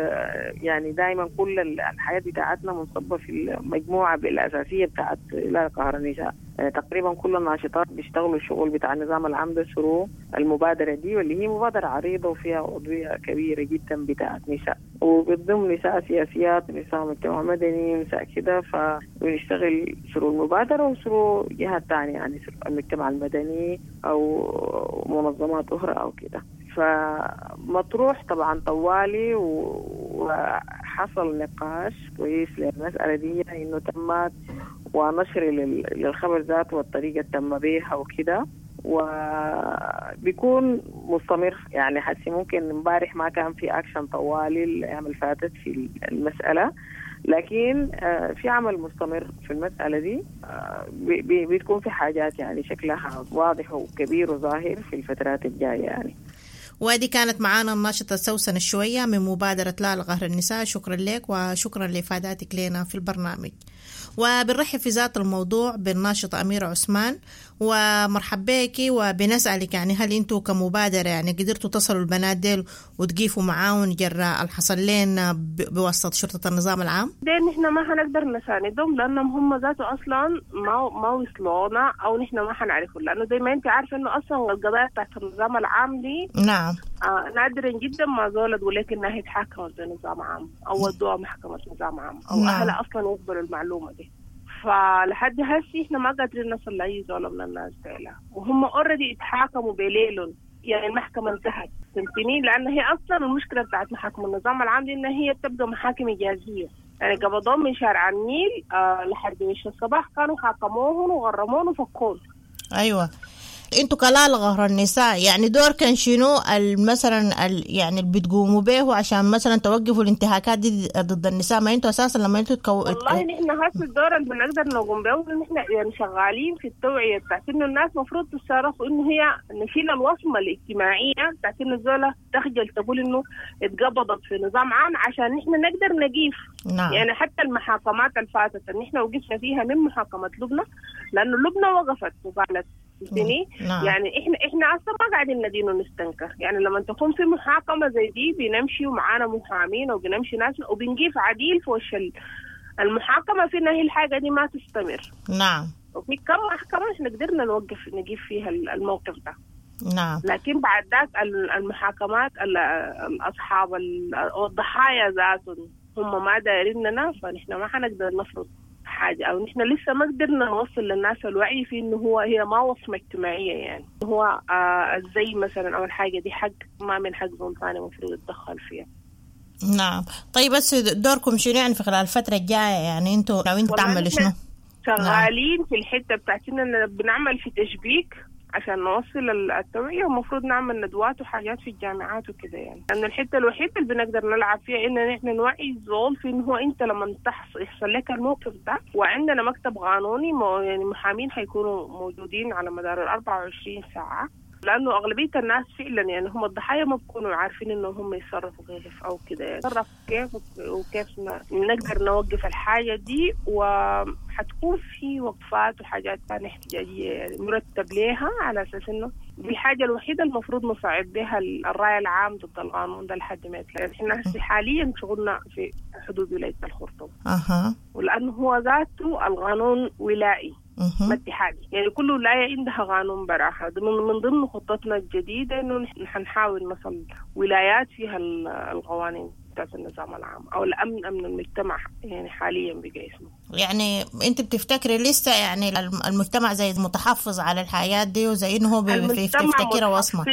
يعني دائما كل الحياة بتاعتنا منصبة في المجموعة الأساسية بتاعت لا قهر النساء، يعني تقريبا كل الناشطات بيشتغلوا الشغل بتاع النظام العام ده شروع المبادرة دي، واللي هي مبادرة عريضة وفيها عضوية كبيرة جدا بتاعت نساء، وبتضم نساء سياسيات، نساء مجتمع مدني، نساء كده، فبنشتغل شروع المبادرة وشروع جهات تانية يعني المجتمع المدني أو منظمات أخرى أو كده. فمطروح طبعا طوالي، وحصل نقاش كويس للمسألة دي إنه تمت ونشر للخبر ذاته والطريقة تم بيها وكده، وبيكون مستمر يعني. حسي ممكن امبارح ما كان في أكشن طوالي الأيام اللي فاتت في المسألة، لكن في عمل مستمر في المسألة دي، بتكون في حاجات يعني شكلها واضح وكبير وظاهر في الفترات الجاية يعني. ودي كانت معانا الناشطة سوسن الشوية من مبادرة لا لقهر النساء. شكرا لك وشكرا لإفاداتك لنا في البرنامج. وبنرحب في ذات الموضوع بالناشطة أميرة عثمان، ومرحب بك. وبنسألك يعني هل انتوا كمبادرة يعني قدرتوا تصلوا البنات ديل وتقيفوا معاهم جراء الحصل لنا بواسطة شرطة النظام العام؟ دين نحن ما حنقدر نساندهم لأنهم هم ذاته أصلا ما ما وصلونا أو نحن ما حنعرفهم، لأنه زي ما أنت عارفة إنه أصلا القضايا بتاعت النظام العام دي نعم آه نادرا جدا ما زولت تقول لك إنها اتحاكمت بنظام عام أو ودوها محكمة نظام عام أو نعم. أهلها أصلا يقبلوا المعلومة دي. فلحد هسي احنا ما قادرين نصل لأي زولة من الناس ديلا، وهم already اتحاكموا بليلهم، يعني المحكمة انتهت فهمتني؟ لأن هي أصلا المشكلة بتاعت محاكم النظام العام دي إن هي بتبقى محاكم إجازية، يعني قبضوهم من شارع النيل آه لحد وش الصباح كانوا حاكموهم وغرموهم وفكوهم. أيوة انتوا كلا لقهر النساء يعني دور كان شنو مثلا يعني اللي بتقوموا به عشان مثلا توقفوا الانتهاكات دي ضد النساء؟ ما انتوا اساسا لما انتوا تكو... والله نحن هسه الدور اللي بنقدر نقوم به نحن يعني شغالين في التوعية بتاعت انه الناس المفروض تتصرف انه هي نشيل الوصمة الاجتماعية بتاعت انه الزوله تخجل تقول انه اتقبضت في نظام عام عشان نحن نقدر نقيف. نعم. يعني حتى المحاكمات اللي فاتت اللي نحن وقفنا فيها من محاكمة لبنى، لانه لبنى وقفت وقالت فهمتني؟ نعم. يعني احنا احنا اصلا ما قاعدين ندين ونستنكر، يعني لما تكون في محاكمة زي دي بنمشي ومعانا محامين وبنمشي ناس وبنقيف عديل في وش المحاكمة في ان هي الحاجة دي ما تستمر. نعم. وفي كم محكمة احنا قدرنا نوقف نقيف فيها الموقف ده. نعم. لكن بعد ذاك المحاكمات الاصحاب الضحايا ذاتهم هم ما دايريننا، فنحن ما حنقدر نفرض حاجة، أو نحن لسه ما قدرنا نوصل للناس الوعي في إنه هو هي ما وصمة اجتماعية، يعني هو آه زي مثلا أول حاجة دي حق ما من حق زول ثاني المفروض يتدخل فيها. نعم. طيب بس دوركم شنو يعني في خلال الفترة الجاية؟ يعني أنتوا ناويين تعملوا شنو؟ شغالين في الحتة بتاعتنا بنعمل في تشبيك عشان نوصل التوعية، ومفروض نعمل ندوات وحاجات في الجامعات وكده، يعني لأن الحتة الوحيدة اللي بنقدر نلعب فيها إن نحن نوعي الزول في إنه هو أنت لما تحصل يحصل لك الموقف ده، وعندنا مكتب قانوني يعني محامين حيكونوا موجودين على مدار الأربعة وعشرين ساعة، لأنه أغلبية الناس فعلا يعني هم الضحايا ما بيكونوا عارفين إنه هم يتصرفوا كيف أو كده، يعني يتصرف كيف وكيف نقدر نوقف الحاجة دي. وحتكون في وقفات وحاجات ثانية احتجاجية يعني مرتب ليها على أساس إنه دي الحاجة الوحيدة المفروض نصعد بها الرأي العام ضد القانون ده لحد ما يطلع. احنا حاليا شغلنا في حدود ولاية الخرطوم. أها. ولأنه هو ذاته القانون ولائي ما اتحادي، يعني كل ولاية عندها قانون براحة. من ضمن خطتنا الجديدة إنه نحن نحاول نصل ولايات فيها القوانين بتاعت النظام العام أو الأمن، أمن المجتمع يعني حاليا بقى اسمه. يعني أنت بتفتكري لسه يعني المجتمع زي متحفظ على الحياة دي وزي إنه هو بيفتكرها وصمة؟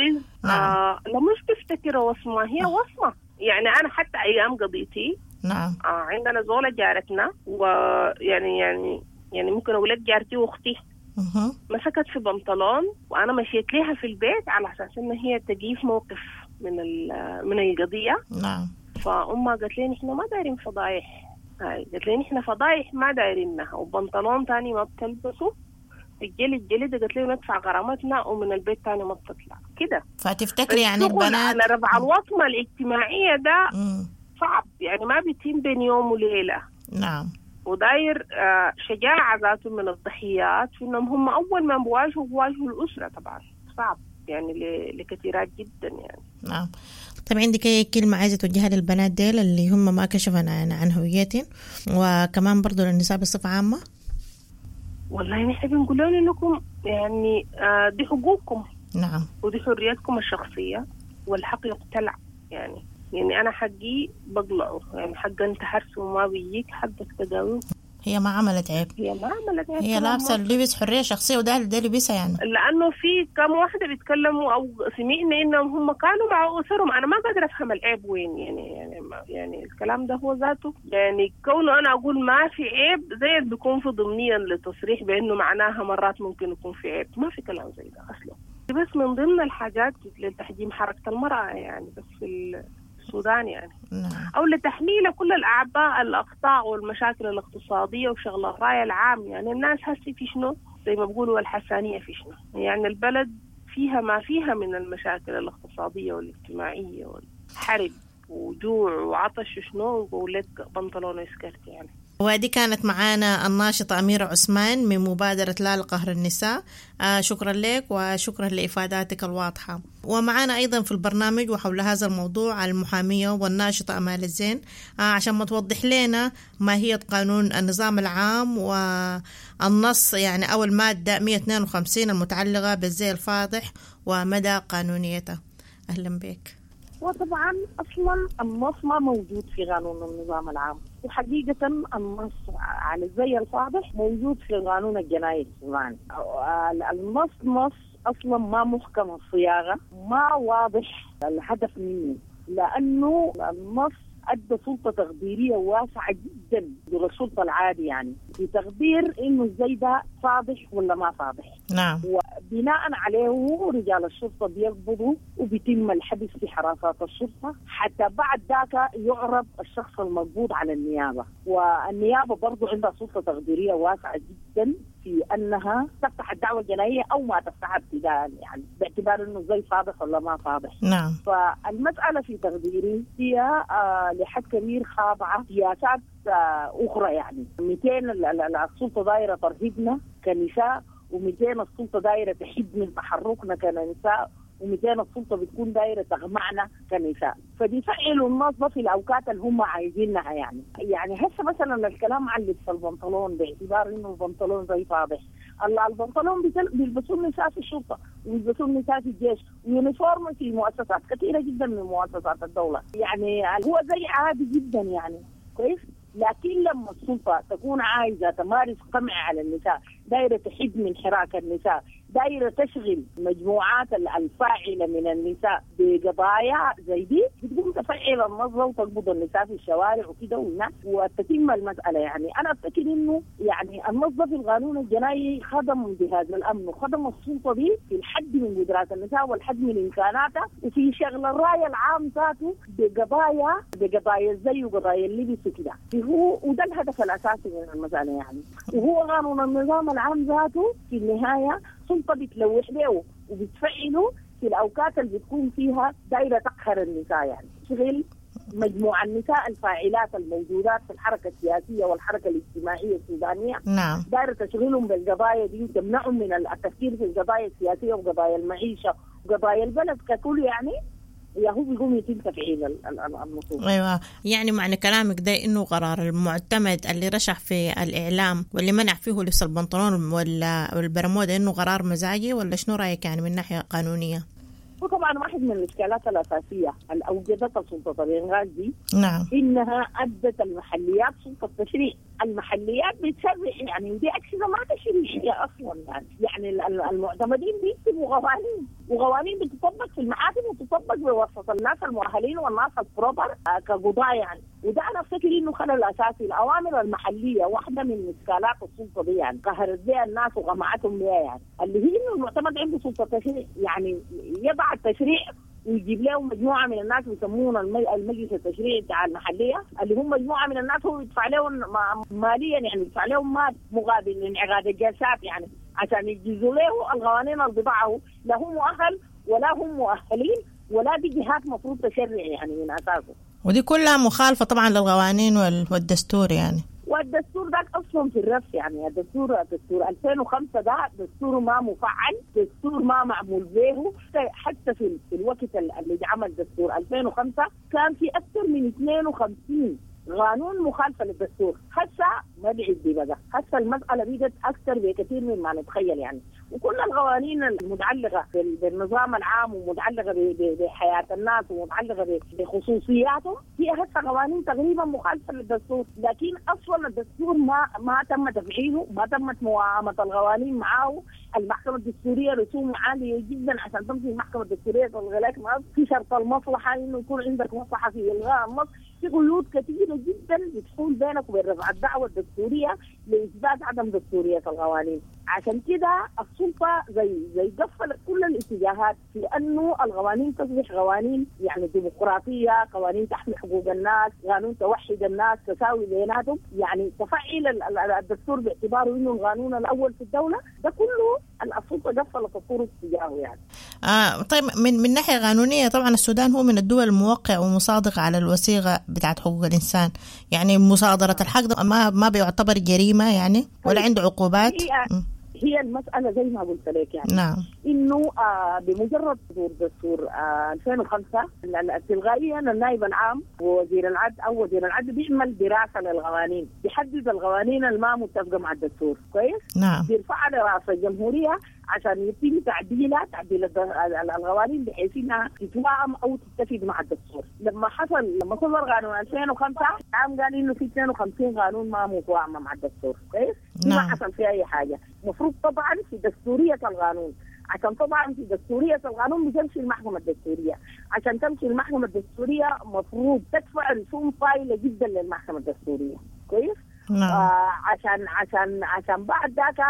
نعم. آه لا مش بيفتكرها وصمة، هي وصمة. يعني أنا حتى أيام قضيتي نعم آه عندنا زولة جارتنا، ويعني يعني يعني ممكن أقول لك جارتي وأختي مسكت في بنطلون وأنا مشيت لها في البيت على أساس إن هي تجيف موقف من من القضية. نعم. فأمها قالت لي نحن ما دايرين فضايح، هاي قالت لي نحن فضايح ما دايرينها، وبنطلون تاني ما بتلبسه الجلد الجلد، قالت لي ندفع غرامتنا ومن البيت تاني ما بتطلع كده. فتفتكري يعني البنات على رفع الوصمة الاجتماعية ده صعب، يعني ما بيتم بين يوم وليلة. نعم. وداير شجاعة ذاته من الضحيات في إنهم هم أول ما بواجهوا بواجهوا الأسرة. طبعا صعب يعني لكثيرات جدا يعني. نعم. طيب عندك أي كلمة عايزة توجهها للبنات ديل اللي هم ما كشفوا عن عن هويتهم، وكمان برضو للنساء بصفة عامة؟ والله نحن بنقول لهم إنكم يعني دي حقوقكم. نعم. ودي حريتكم الشخصية، والحق يقتلع. يعني يعني أنا حقي بقلعه، يعني حق أنت حرسه وما بيجيك حقك تداويه. هي ما عملت عيب، هي ما عملت عيب، هي لابسة اللبس حرية شخصية وده ده لبسها يعني. لأنه في كم واحدة بيتكلموا أو سمعنا إنهم هم كانوا مع أسرهم، أنا ما قادرة أفهم العيب وين يعني يعني يعني الكلام ده هو ذاته يعني كونه أنا أقول ما في عيب زي اللي بيكون في ضمنيا للتصريح بأنه معناها مرات ممكن يكون في عيب، ما في كلام زي ده أصلا. بس من ضمن الحاجات لتحجيم حركة المرأة يعني بس في السودان يعني. نعم. أو لتحميل كل الأعباء الأخطاء والمشاكل الاقتصادية وشغل الرأي العام. يعني الناس هسي في شنو زي ما بيقولوا الحسانية في شنو، يعني البلد فيها ما فيها من المشاكل الاقتصادية والاجتماعية والحرب وجوع وعطش وشنو، ويقول لك بنطلون وسكرت يعني. ودي كانت معانا الناشطة أميرة عثمان من مبادرة لا لقهر النساء. آه شكرا لك وشكرا لإفاداتك الواضحة. ومعانا أيضا في البرنامج وحول هذا الموضوع المحامية والناشطة أمال الزين، آه عشان ما توضح لنا ماهية قانون النظام العام والنص يعني أو المادة مئة واثنين وخمسين المتعلقة بالزي الفاضح ومدى قانونيته. أهلا بك. وطبعا أصلا النص ما موجود في قانون النظام العام، وحقيقة النص على الزي الفاضح موجود في القانون الجنائي السوداني. النص نص أصلا ما محكم الصياغة، ما واضح الهدف منه، لأنه النص أدى سلطة تقديرية واسعة جدا للسلطة العادي، يعني في تقدير إنه الزي ده فاضح ولا ما فاضح. نعم. وبناء عليه رجال الشرطة بيقبضوا وبيتم الحبس في حراسات الشرطة حتى بعد ذاك يعرض الشخص المقبوض على النيابة، والنيابة برضو عندها سلطة تقديرية واسعة جدا في أنها تفتح الدعوة الجنائية أو ما تفتحها ابتداء، يعني باعتبار إنه زي فاضح ولا ما فاضح. نعم. فالمسألة في تقديري هي آه لحد كبير خاضعة سياسات آه أخرى، يعني مئتين السلطة دايرة ترهيبنا كنساء، ومئتين السلطة دايرة تحد من تحركنا كنساء، ومئتين السلطة بتكون دايرة تغمعنا كنساء، فبيفعلوا النص في الأوقات اللي هم عايزينها. يعني يعني هسه مثلا الكلام عن لبس البنطلون باعتبار إنه البنطلون زي فاضح، الله البنطلون بيلبسوه النساء في الشرطة وبيلبسوه النساء في الجيش و uniform في مؤسسات كثيرة جدا من مؤسسات الدولة، يعني هو زي عادي جدا يعني كويس. لكن لما السلطة تكون عايزة تمارس قمع على النساء، دايرة تحد من حراك النساء، دايرة تشغل مجموعات الفاعلة من النساء بقضايا زي دي، بتقوم تفعل النظرة وتقبض النساء في الشوارع وكده والناس وتتم المسألة. يعني أنا أفتكر إنه يعني النظرة في القانون الجنائي خدم جهاز الأمن وخدم السلطة دي في الحد من قدرات النساء والحد من إمكاناتها، وفي شغل الرأي العام ذاته بقضايا بقضايا الزي وقضايا اللبس وكده، هو وده الهدف الأساسي من المسألة يعني. وهو قانون النظام العام ذاته في النهاية سلطة بتلوح له وبتفعله في الأوقات اللي بتكون فيها دايرة تقهر النساء، يعني شغل مجموعة النساء الفاعلات الموجودات في الحركة السياسية والحركة الاجتماعية السودانية نعم دايرة تشغلهم بالقضايا دي وتمنعهم من التفكير في القضايا السياسية وقضايا المعيشة وقضايا البلد ككل، يعني يا هو بيقوم يتم تفعيل النصوص. ايوه، يعني معنى كلامك ده انه قرار المعتمد اللي رشح في الاعلام واللي منع فيه لبس البنطلون والبرمودا انه قرار مزاجي، ولا شنو رايك يعني من ناحية قانونية؟ وطبعا واحد من الاشكالات الاساسية اللي اوجدتها سلطة الانغاز دي نعم انها ادت المحليات سلطة تشريع. المحليات بتشرع يعني، ودي اجهزة ما تشريعية اصلا يعني، يعني المعتمدين بيكتبوا قوانين، وقوانين بتطبق في المحاكم وتطبق بواسطة الناس المؤهلين والناس البروبر كقضاء يعني. وده انا افتكر انه خلل اساسي. الاوامر المحلية واحدة من اشكالات السلطة دي يعني، قهرت بها الناس وقمعتهم بها يعني، اللي هي انه المعتمد عنده سلطة تشريع، يعني يضع التشريع ويجيب لهم مجموعة من الناس يسمون المجلس التشريعي بتاع المحلية، اللي هم مجموعة من الناس هو يدفع لهم ماليا يعني، يدفع لهم مال مقابل انعقاد الجلسات يعني، عشان يجيزوا له القوانين اللي بضعة، لا هم مؤهل ولا هم مؤهلين ولا دي جهات مفروض تشرع يعني من اساسه. ودي كلها مخالفة طبعا للقوانين والدستور يعني. والدستور ده اصلا في الرف يعني، الدستور دستور ألفين وخمسة ده دستور ما مفعل، دستور ما معمول به. حتى في الوقت اللي عمل دستور ألفين وخمسة كان في اكثر من اثنين وخمسين قانون مخالفة للدستور. هسه ما بعيد دي بقى، هسه المسالة بقت اكثر بكثير مما نتخيل يعني. وكل القوانين المتعلقة بالنظام العام ومتعلقه بحياة الناس ومتعلقه بخصوصياتهم هي هسه قوانين تقريبا مخالفة للدستور، لكن اصلا الدستور ما ما تم تفعيله، ما تمت موائمه القوانين معاه. المحكمة الدستورية رسوم عالية جدا عشان تمشي المحكمة الدستورية تلغي لك في شرط المصلحة انه يكون عندك مصلحة في الغاء النص، في قيود كثيرة جدا بتحول بينك وبين رفع الدعوة الدستورية لاثبات عدم دستورية القوانين. عشان كده السلطة زي زي قفلت كل الاتجاهات في انه القوانين تصبح قوانين يعني ديمقراطية، قوانين تحمي حقوق الناس، قانون توحد الناس، تساوي بيناتهم، يعني تفعيل الدستور باعتباره انه القانون الاول في الدولة. ده كله السلطة قفلت الطرق تجاهه يعني. آه طيب من من ناحية قانونية طبعا السودان هو من الدول الموقع ومصادق على الوثيقة بتاعت حقوق الانسان، يعني مصادره الحق ده ما ما بيعتبر جريمة يعني ولا عنده عقوبات. هي, هي المسالة زي ما قلت لك يعني نعم، انه آه بمجرد صدور دستور آه ألفين وخمسة تلقائيا النائب العام ووزير العدل او وزير العدل بيعمل دراسة للقوانين، بيحدد القوانين الما متفقه مع الدستور، كويس؟ نعم، بيرفعها لرئاسة الجمهورية عشان يتم تعديلها، تعديل القوانين بحيث انها تتوائم او تتفق مع الدستور. لما حصل لما صدر قانون ألفين وخمسة عام قال انه في اثنين وخمسين قانون ما متوائمه مع الدستور، كويس؟ نعم. ما حصل فيها اي حاجة. المفروض طبعا في دستورية القانون، عشان طبعا في دستورية القانون بتمشي المحكمة الدستورية، عشان تمشي المحكمة الدستورية مفروض تدفع رسوم طايله جدا للمحكمة الدستورية، كويس؟ نعم. آه عشان عشان عشان بعد ذاك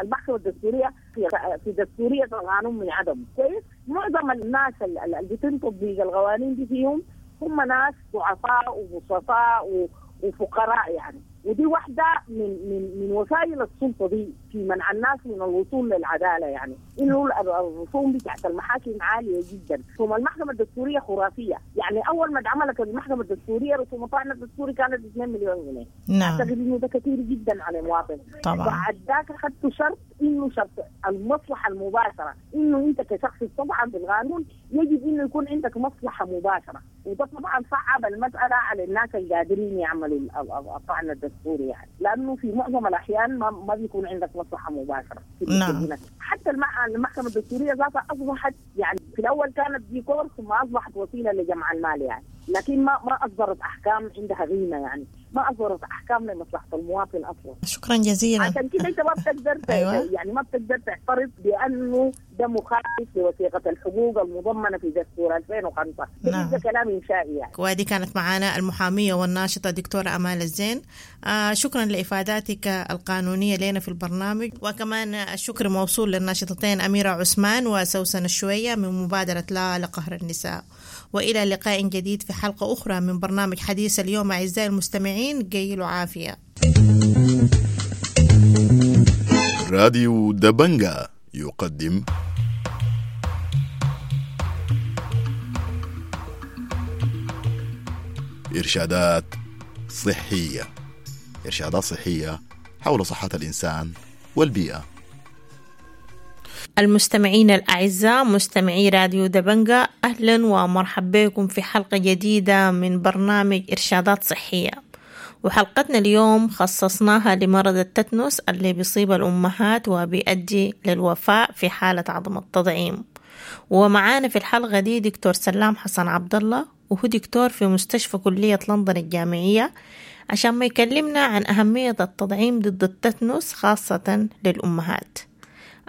المحكمة الدستورية في في دستورية القانون من عدم، كويس؟ معظم الناس اللي بيتم تطبيق القوانين دي فيهم هم ناس ضعفاء وبسطاء وفقراء يعني، ودي واحدة من من من وسائل السلطة دي في منع الناس من الوصول للعدالة يعني، إنه الرسوم بتاعت المحاكم عالية جدا، ثم المحكمة الدستورية خرافية، يعني أول ما اتعملت المحكمة الدستورية رسوم الطعن الدستوري كانت اثنين مليون جنيه. نعم. أعتقد إنه ده كثير جدا على المواطن. طبعا. بعد ذاك أخذت شرط إنه شرط المصلحة المباشرة، إنه أنت كشخص طبعا بالقانون يجب إنه يكون عندك مصلحة مباشرة، وده طبعا صعب المسألة على الناس القادرين يعملوا الطعن الدستوري يعني، لأنه في معظم الأحيان ما ما بيكون عندك مصلحة مباشرة. نعم. حتى المحكمة الدستورية ذاتها أصبحت يعني في الأول كانت ديكور ثم أصبحت وسيلة لجمع المال يعني، لكن ما ما أصدرت أحكام عندها قيمة يعني، ما أصدرت أحكام لمصلحة المواطن أصلا. شكرا جزيلا. عشان كده أنت ما بتقدر أيوة. يعني ما بتقدر تعترض بأنه ده مخالف لوثيقة الحقوق المضمنة في دستور ألفين وخمسة. نعم. ده كلام إنشائي يعني. ودي كانت معنا المحامية والناشطة دكتورة أمال الزين. آه شكرا لإفاداتك القانونية لنا في البرنامج، وكمان الشكر موصول للناشطتين أميرة عثمان وسوسن الشوية من مبادرة لا لقهر النساء. وإلى لقاء جديد في حلقة أخرى من برنامج حديث اليوم أعزائي المستمعين، قيلوا عافية. راديو دبنجا يقدم إرشادات صحية، إرشادات صحية حول صحة الإنسان والبيئة. المستمعين الأعزاء مستمعي راديو دبنجا، أهلا ومرحبا بكم في حلقة جديدة من برنامج إرشادات صحية. وحلقتنا اليوم خصصناها لمرض التتنس اللي بيصيب الأمهات وبيؤدي للوفاة في حالة عدم التطعيم. ومعانا في الحلقة دي دكتور سلام حسن عبد الله، وهو دكتور في مستشفى كلية لندن الجامعية، عشان ما يكلمنا عن أهمية التطعيم ضد التتنس خاصة للأمهات.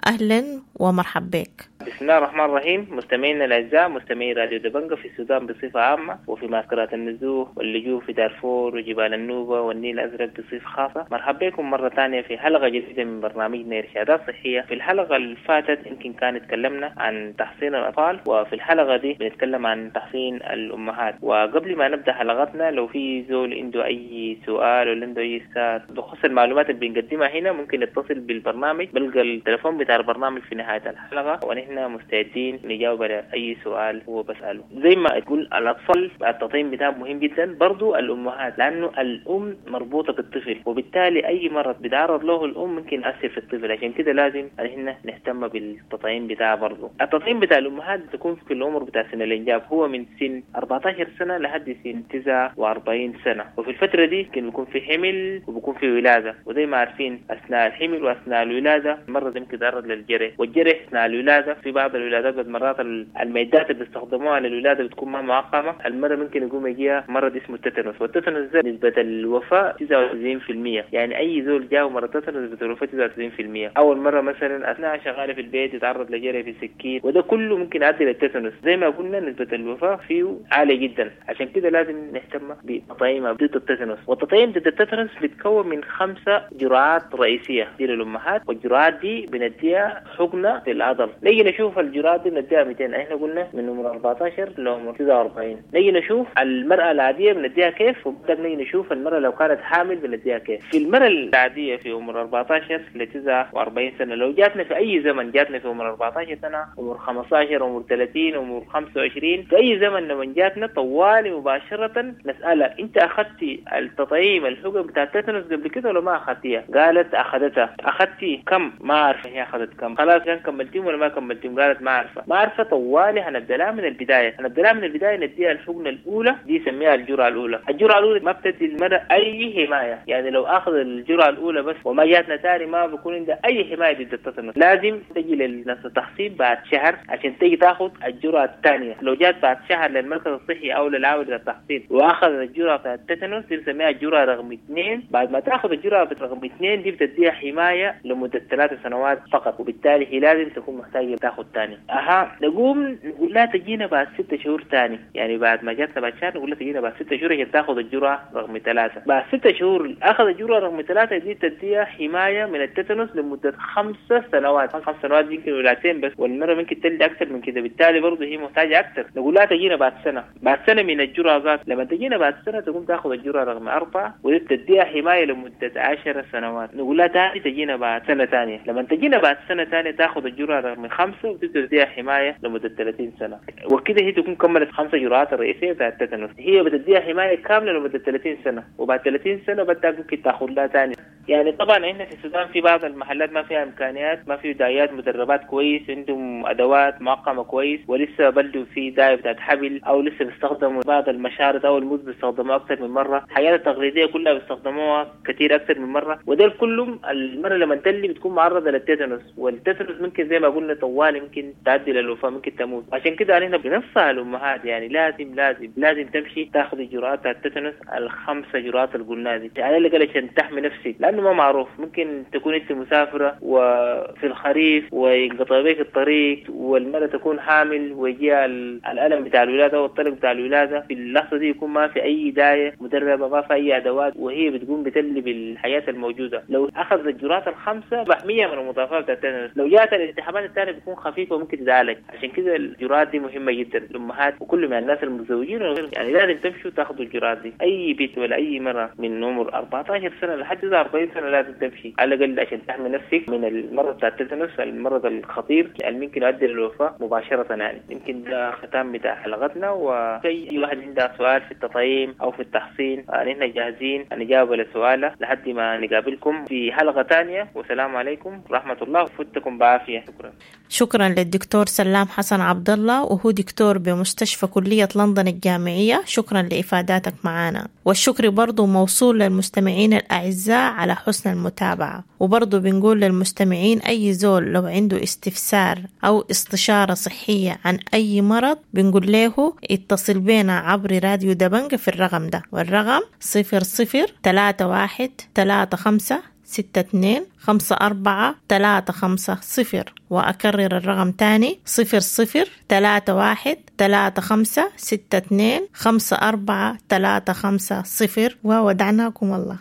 أهلا ومرحبا بك. بسم الله الرحمن الرحيم. مستمعينا الاعزاء، مستمعي راديو دبنجا في السودان بصفة عامة، وفي معسكرات النزوح واللجوء في دارفور وجبال النوبة والنيل الازرق بصفة خاصة، مرحبا بكم مرة ثانية في حلقة جديدة من برنامجنا ارشادات صحية. في الحلقة اللي فاتت يمكن كان تكلمنا عن تحصين الاطفال، وفي الحلقة دي بنتكلم عن تحصين الامهات. وقبل ما نبدا حلقتنا، لو في زول عنده اي سؤال ولا عنده اي استفسار بخصوص المعلومات اللي بنقدمها هنا، ممكن يتصل بالبرنامج، بلقى التليفون بتاع البرنامج في نهاية الحلقة، ونحن مستعدين نجاوب على اي سؤال هو بساله. زي ما تقول الاطفال التطعيم بتاعهم مهم جدا، برضو الامهات، لانه الام مربوطة بالطفل، وبالتالي اي مرض بيتعرض له الام ممكن ياثر في الطفل، عشان كده لازم احنا نهتم بالتطعيم بتاعه. برضو التطعيم بتاع الامهات تكون في العمر بتاع سن الانجاب، هو من سن أربعتاشر سنة لحد سن تسعة وأربعين سنة، وفي الفترة دي ممكن بيكون في حمل وبيكون في ولاده، وزي ما عارفين اثناء الحمل واثناء الولادة المرض ممكن يتعرض للجرح، والجرح اثناء الولادة في بعض الولادات بالمرات المعدات اللي بيستخدموها للولاده بتكون ما معقمه، المرة ممكن يقوم يجيها مرض اسمه التتنس، والتتنس ده نسبه الوفاة تسعة وتسعين بالمية، يعني اي زول جاه مرض التتنس نسبه الوفاة تسعة وتسعين بالمية. اول مرة مثلا اثناء شغالة في البيت يتعرض لجرح في سكين، وده كله ممكن يؤدي للتتنس. زي ما قلنا نسبه الوفاة فيه عالية جدا، عشان كده لازم نهتم بتطعيم ضد التتنس. والتطعيم ضد التتنس بيتكون من خمسة جرعات رئيسية دي للامهات، والجرعات دي بنديها حقنه في العضل. نيجي نشوف الجرعات دي بنديها مئتين، احنا قلنا من عمر أربعتاشر لعمر تسعة وأربعين. نيجي نشوف المرأة العادية بنديها كيف، وبعدين نيجي نشوف المرأة لو كانت حامل بنديها كيف. في المرأة العادية في عمر أربعتاشر ل تسعة وأربعين سنة، لو جاتنا في أي زمن، جاتنا في عمر أربعتاشر سنة، عمر خمستاشر، عمر ثلاثين، عمر خمسة وعشرين، في أي زمن لما جاتنا طوالي مباشرة نسألها أنت أخذتي التطعيم الحقن بتاع التتنس قبل كده ولا ما أخذتيها؟ قالت أخذتها. أخذتي كم؟ ما عارفة هي أخذت كم. خلاص كان كملتيهم ولا ما كملتيهم؟ قالت ما عارفه. ما عارفه. طوالي هنبدلها من البداية، هنبدلها من البداية نديها الحقنة الاولى، دي سميها الجرعة الاولى. الجرعة الاولى ما بتدي المرأة اي حماية، يعني لو اخذ الجرعة الاولى بس وما جاتنا تاني ما بيكون عندها اي حماية ضد التتنس. لازم تجي للناس التحصين بعد شهر عشان تيجي تاخذ الجرعة الثانية. لو جات بعد شهر للمركز الصحي او للعاوله للتحصين واخذ الجرعة بتاعت التتنس، دي بنسميها الجرعة رقم اثنين. بعد ما تاخذ الجرعة رقم اثنين دي بتديها حماية لمدة ثلاث سنوات فقط، وبالتالي هي لازم تكون محتاجه تاخذ ثاني. اها نقوم نقول لها تجينا بعد ستة شهور ثاني، يعني بعد ما جاتنا بعد شهر نقول لها تجينا بعد ستة شهور عشان تاخذ الجرعة رقم ثلاثة. بعد ستة شهور اخذ الجرعة رقم ثلاثة دي تديها حماية من التتنس لمدة خمسة سنوات، خمس سنوات يمكن ولادتين بس، والمرة ممكن تلد اكثر من كده، بالتالي برضه هي محتاجه اكثر. نقول لها تجينا بعد سنة، بعد سنة من الجرعة ذات، لما تجينا بعد سنة تقوم تاخذ الجرعة رقم اربعة ودي تديها حماية لمدة عشر سنوات. نقول لها ثاني تجينا بعد سنة ثانية، لما تجينا بعد سنة ثانية تاخذ الجرعة رقم خمسة وتبدا تديها حماية لمدة ثلاثين سنة، وكده هي تكون كملت خمسة جرعات الرئيسية بتاعت التتنس. هي بتديها حماية كاملة لمدة ثلاثين سنة، وبعد ثلاثين سنة بدها ممكن تاخذ لها ثاني. يعني طبعا احنا في السودان في بعض المحلات ما فيها امكانيات، ما في دايات مدربات كويس، عندهم ادوات معقمه كويس، ولسه بلدوا في دايه بتاعت حبل، او لسه بيستخدموا بعض المشارط او الموز بيستخدموها اكثر من مرة، الحاجات التقليدية كلها بيستخدموها كثير اكثر من مرة، وده كلهم المرة لما تلي بتكون معرضه للتتنس، والتتنس ممكن زي ما قلنا طوال ممكن تؤدي للوفاه، ممكن تموت. عشان كده احنا بننصح الامهات يعني لازم لازم لازم تمشي تاخذ جرعات التتنس الخمسة جرعات اللي قلناها دي، على الاقل عشان تحمي نفسك، لانه ما معروف ممكن تكون انت مسافرة وفي الخريف وينقطع بك الطريق، والمرأة تكون حامل ويجيها الالم بتاع الولادة والطلق بتاع الولادة، في اللحظة دي يكون ما في اي دايه مدربه، ما في اي ادوات، وهي بتقوم بتلي بالحياة الموجودة. لو اخذت الجرعات الخمسة محمية من المضاعفات بتاعت التتنس، لو جات الالتهابات الثانية بتكون خفيفة وممكن تتعالج. عشان كده الجرعات دي مهمة جدا للامهات وكل من الناس المتزوجين، يعني لازم تمشوا تاخذوا الجرعات دي. اي بيت ولا اي مرأة من عمر أربعتاشر سنة لحد أربعين وعشرين سنة لازم تمشي على الاقل عشان تحمي نفسك من المرض بتاع التيتانوس، المرض الخطير اللي ممكن يؤدي للوفاه مباشرة. يعني يمكن ده ختام بتاع حلقتنا، وأي واحد عنده سؤال في التطعيم أو في التحصين نحن جاهزين نجاوب على سؤاله لحد ما نقابلكم في حلقة تانية. والسلام عليكم ورحمة الله، وفتكم بعافية. شكرا. شكرا للدكتور سلام حسن عبد الله، وهو دكتور بمستشفى كلية لندن الجامعية. شكرا لإفاداتك معنا، والشكر برضو موصول للمستمعين الأعزاء على حسن المتابعة. وبرضو بنقول للمستمعين أي زول لو عنده استفسار أو استشارة صحية عن أي مرض بنقول له اتصل بينا عبر راديو دبنجة في الرقم ده، والرقم صفر صفر ثلاثة واحد ثلاثة خمسة ستة اثنين خمسة أربعة ثلاثة خمسة صفر. وأكرر الرقم تاني صفر صفر ثلاثة واحد ثلاثة خمسة ستة اثنين خمسة أربعة ثلاثة خمسة صفر. وودعناكم الله.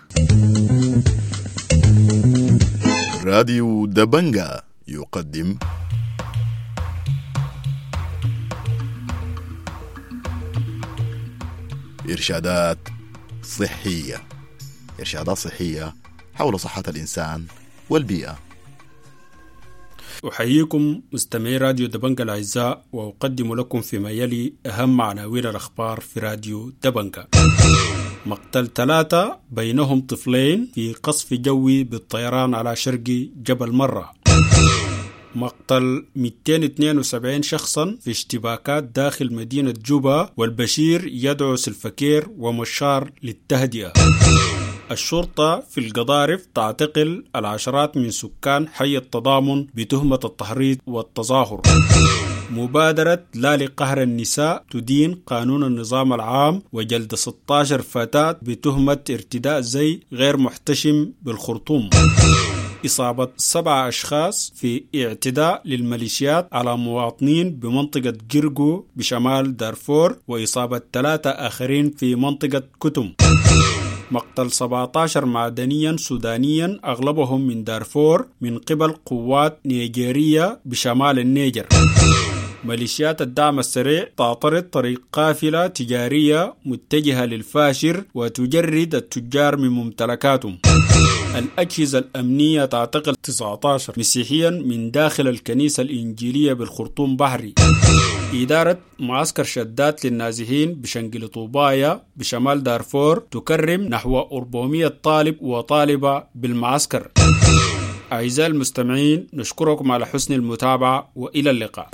راديو دبنجة يقدم إرشادات صحية، إرشادات صحية حول صحة الإنسان والبيئة. أحييكم مستمعي راديو دبنجة الأعزاء، وأقدم لكم فيما يلي أهم عناوين الأخبار في راديو دبنجة. مقتل ثلاثة بينهم طفلين في قصف جوي بالطيران على شرق جبل مرة. مقتل مئتين واثنين وسبعين شخصا في اشتباكات داخل مدينة جوبا، والبشير يدعو سلفكير ومشار للتهدئة. الشرطة في القضارف تعتقل العشرات من سكان حي التضامن بتهمة التحريض والتظاهر. مبادرة لا لقهر النساء تدين قانون النظام العام وجلد ستة عشر فتاة بتهمة ارتداء زي غير محتشم بالخرطوم. إصابة سبعة أشخاص في اعتداء للميليشيات على مواطنين بمنطقة جرجو بشمال دارفور، وإصابة ثلاثة آخرين في منطقة كتم. مقتل سبعة عشر معدنيا سودانيا أغلبهم من دارفور من قبل قوات نيجيرية بشمال النيجر. ميليشيات الدعم السريع تعترض طريق قافلة تجارية متجهة للفاشر وتجرد التجار من ممتلكاتهم. الأجهزة الأمنية تعتقل تسعة عشر مسيحيا من داخل الكنيسة الإنجيلية بالخرطوم بحري. إدارة معسكر شدات للنازحين بشنقل طوبايا بشمال دارفور تكرم نحو أربعمائة طالب وطالبة بالمعسكر. أعزائي المستمعين، نشكركم على حسن المتابعة وإلى اللقاء.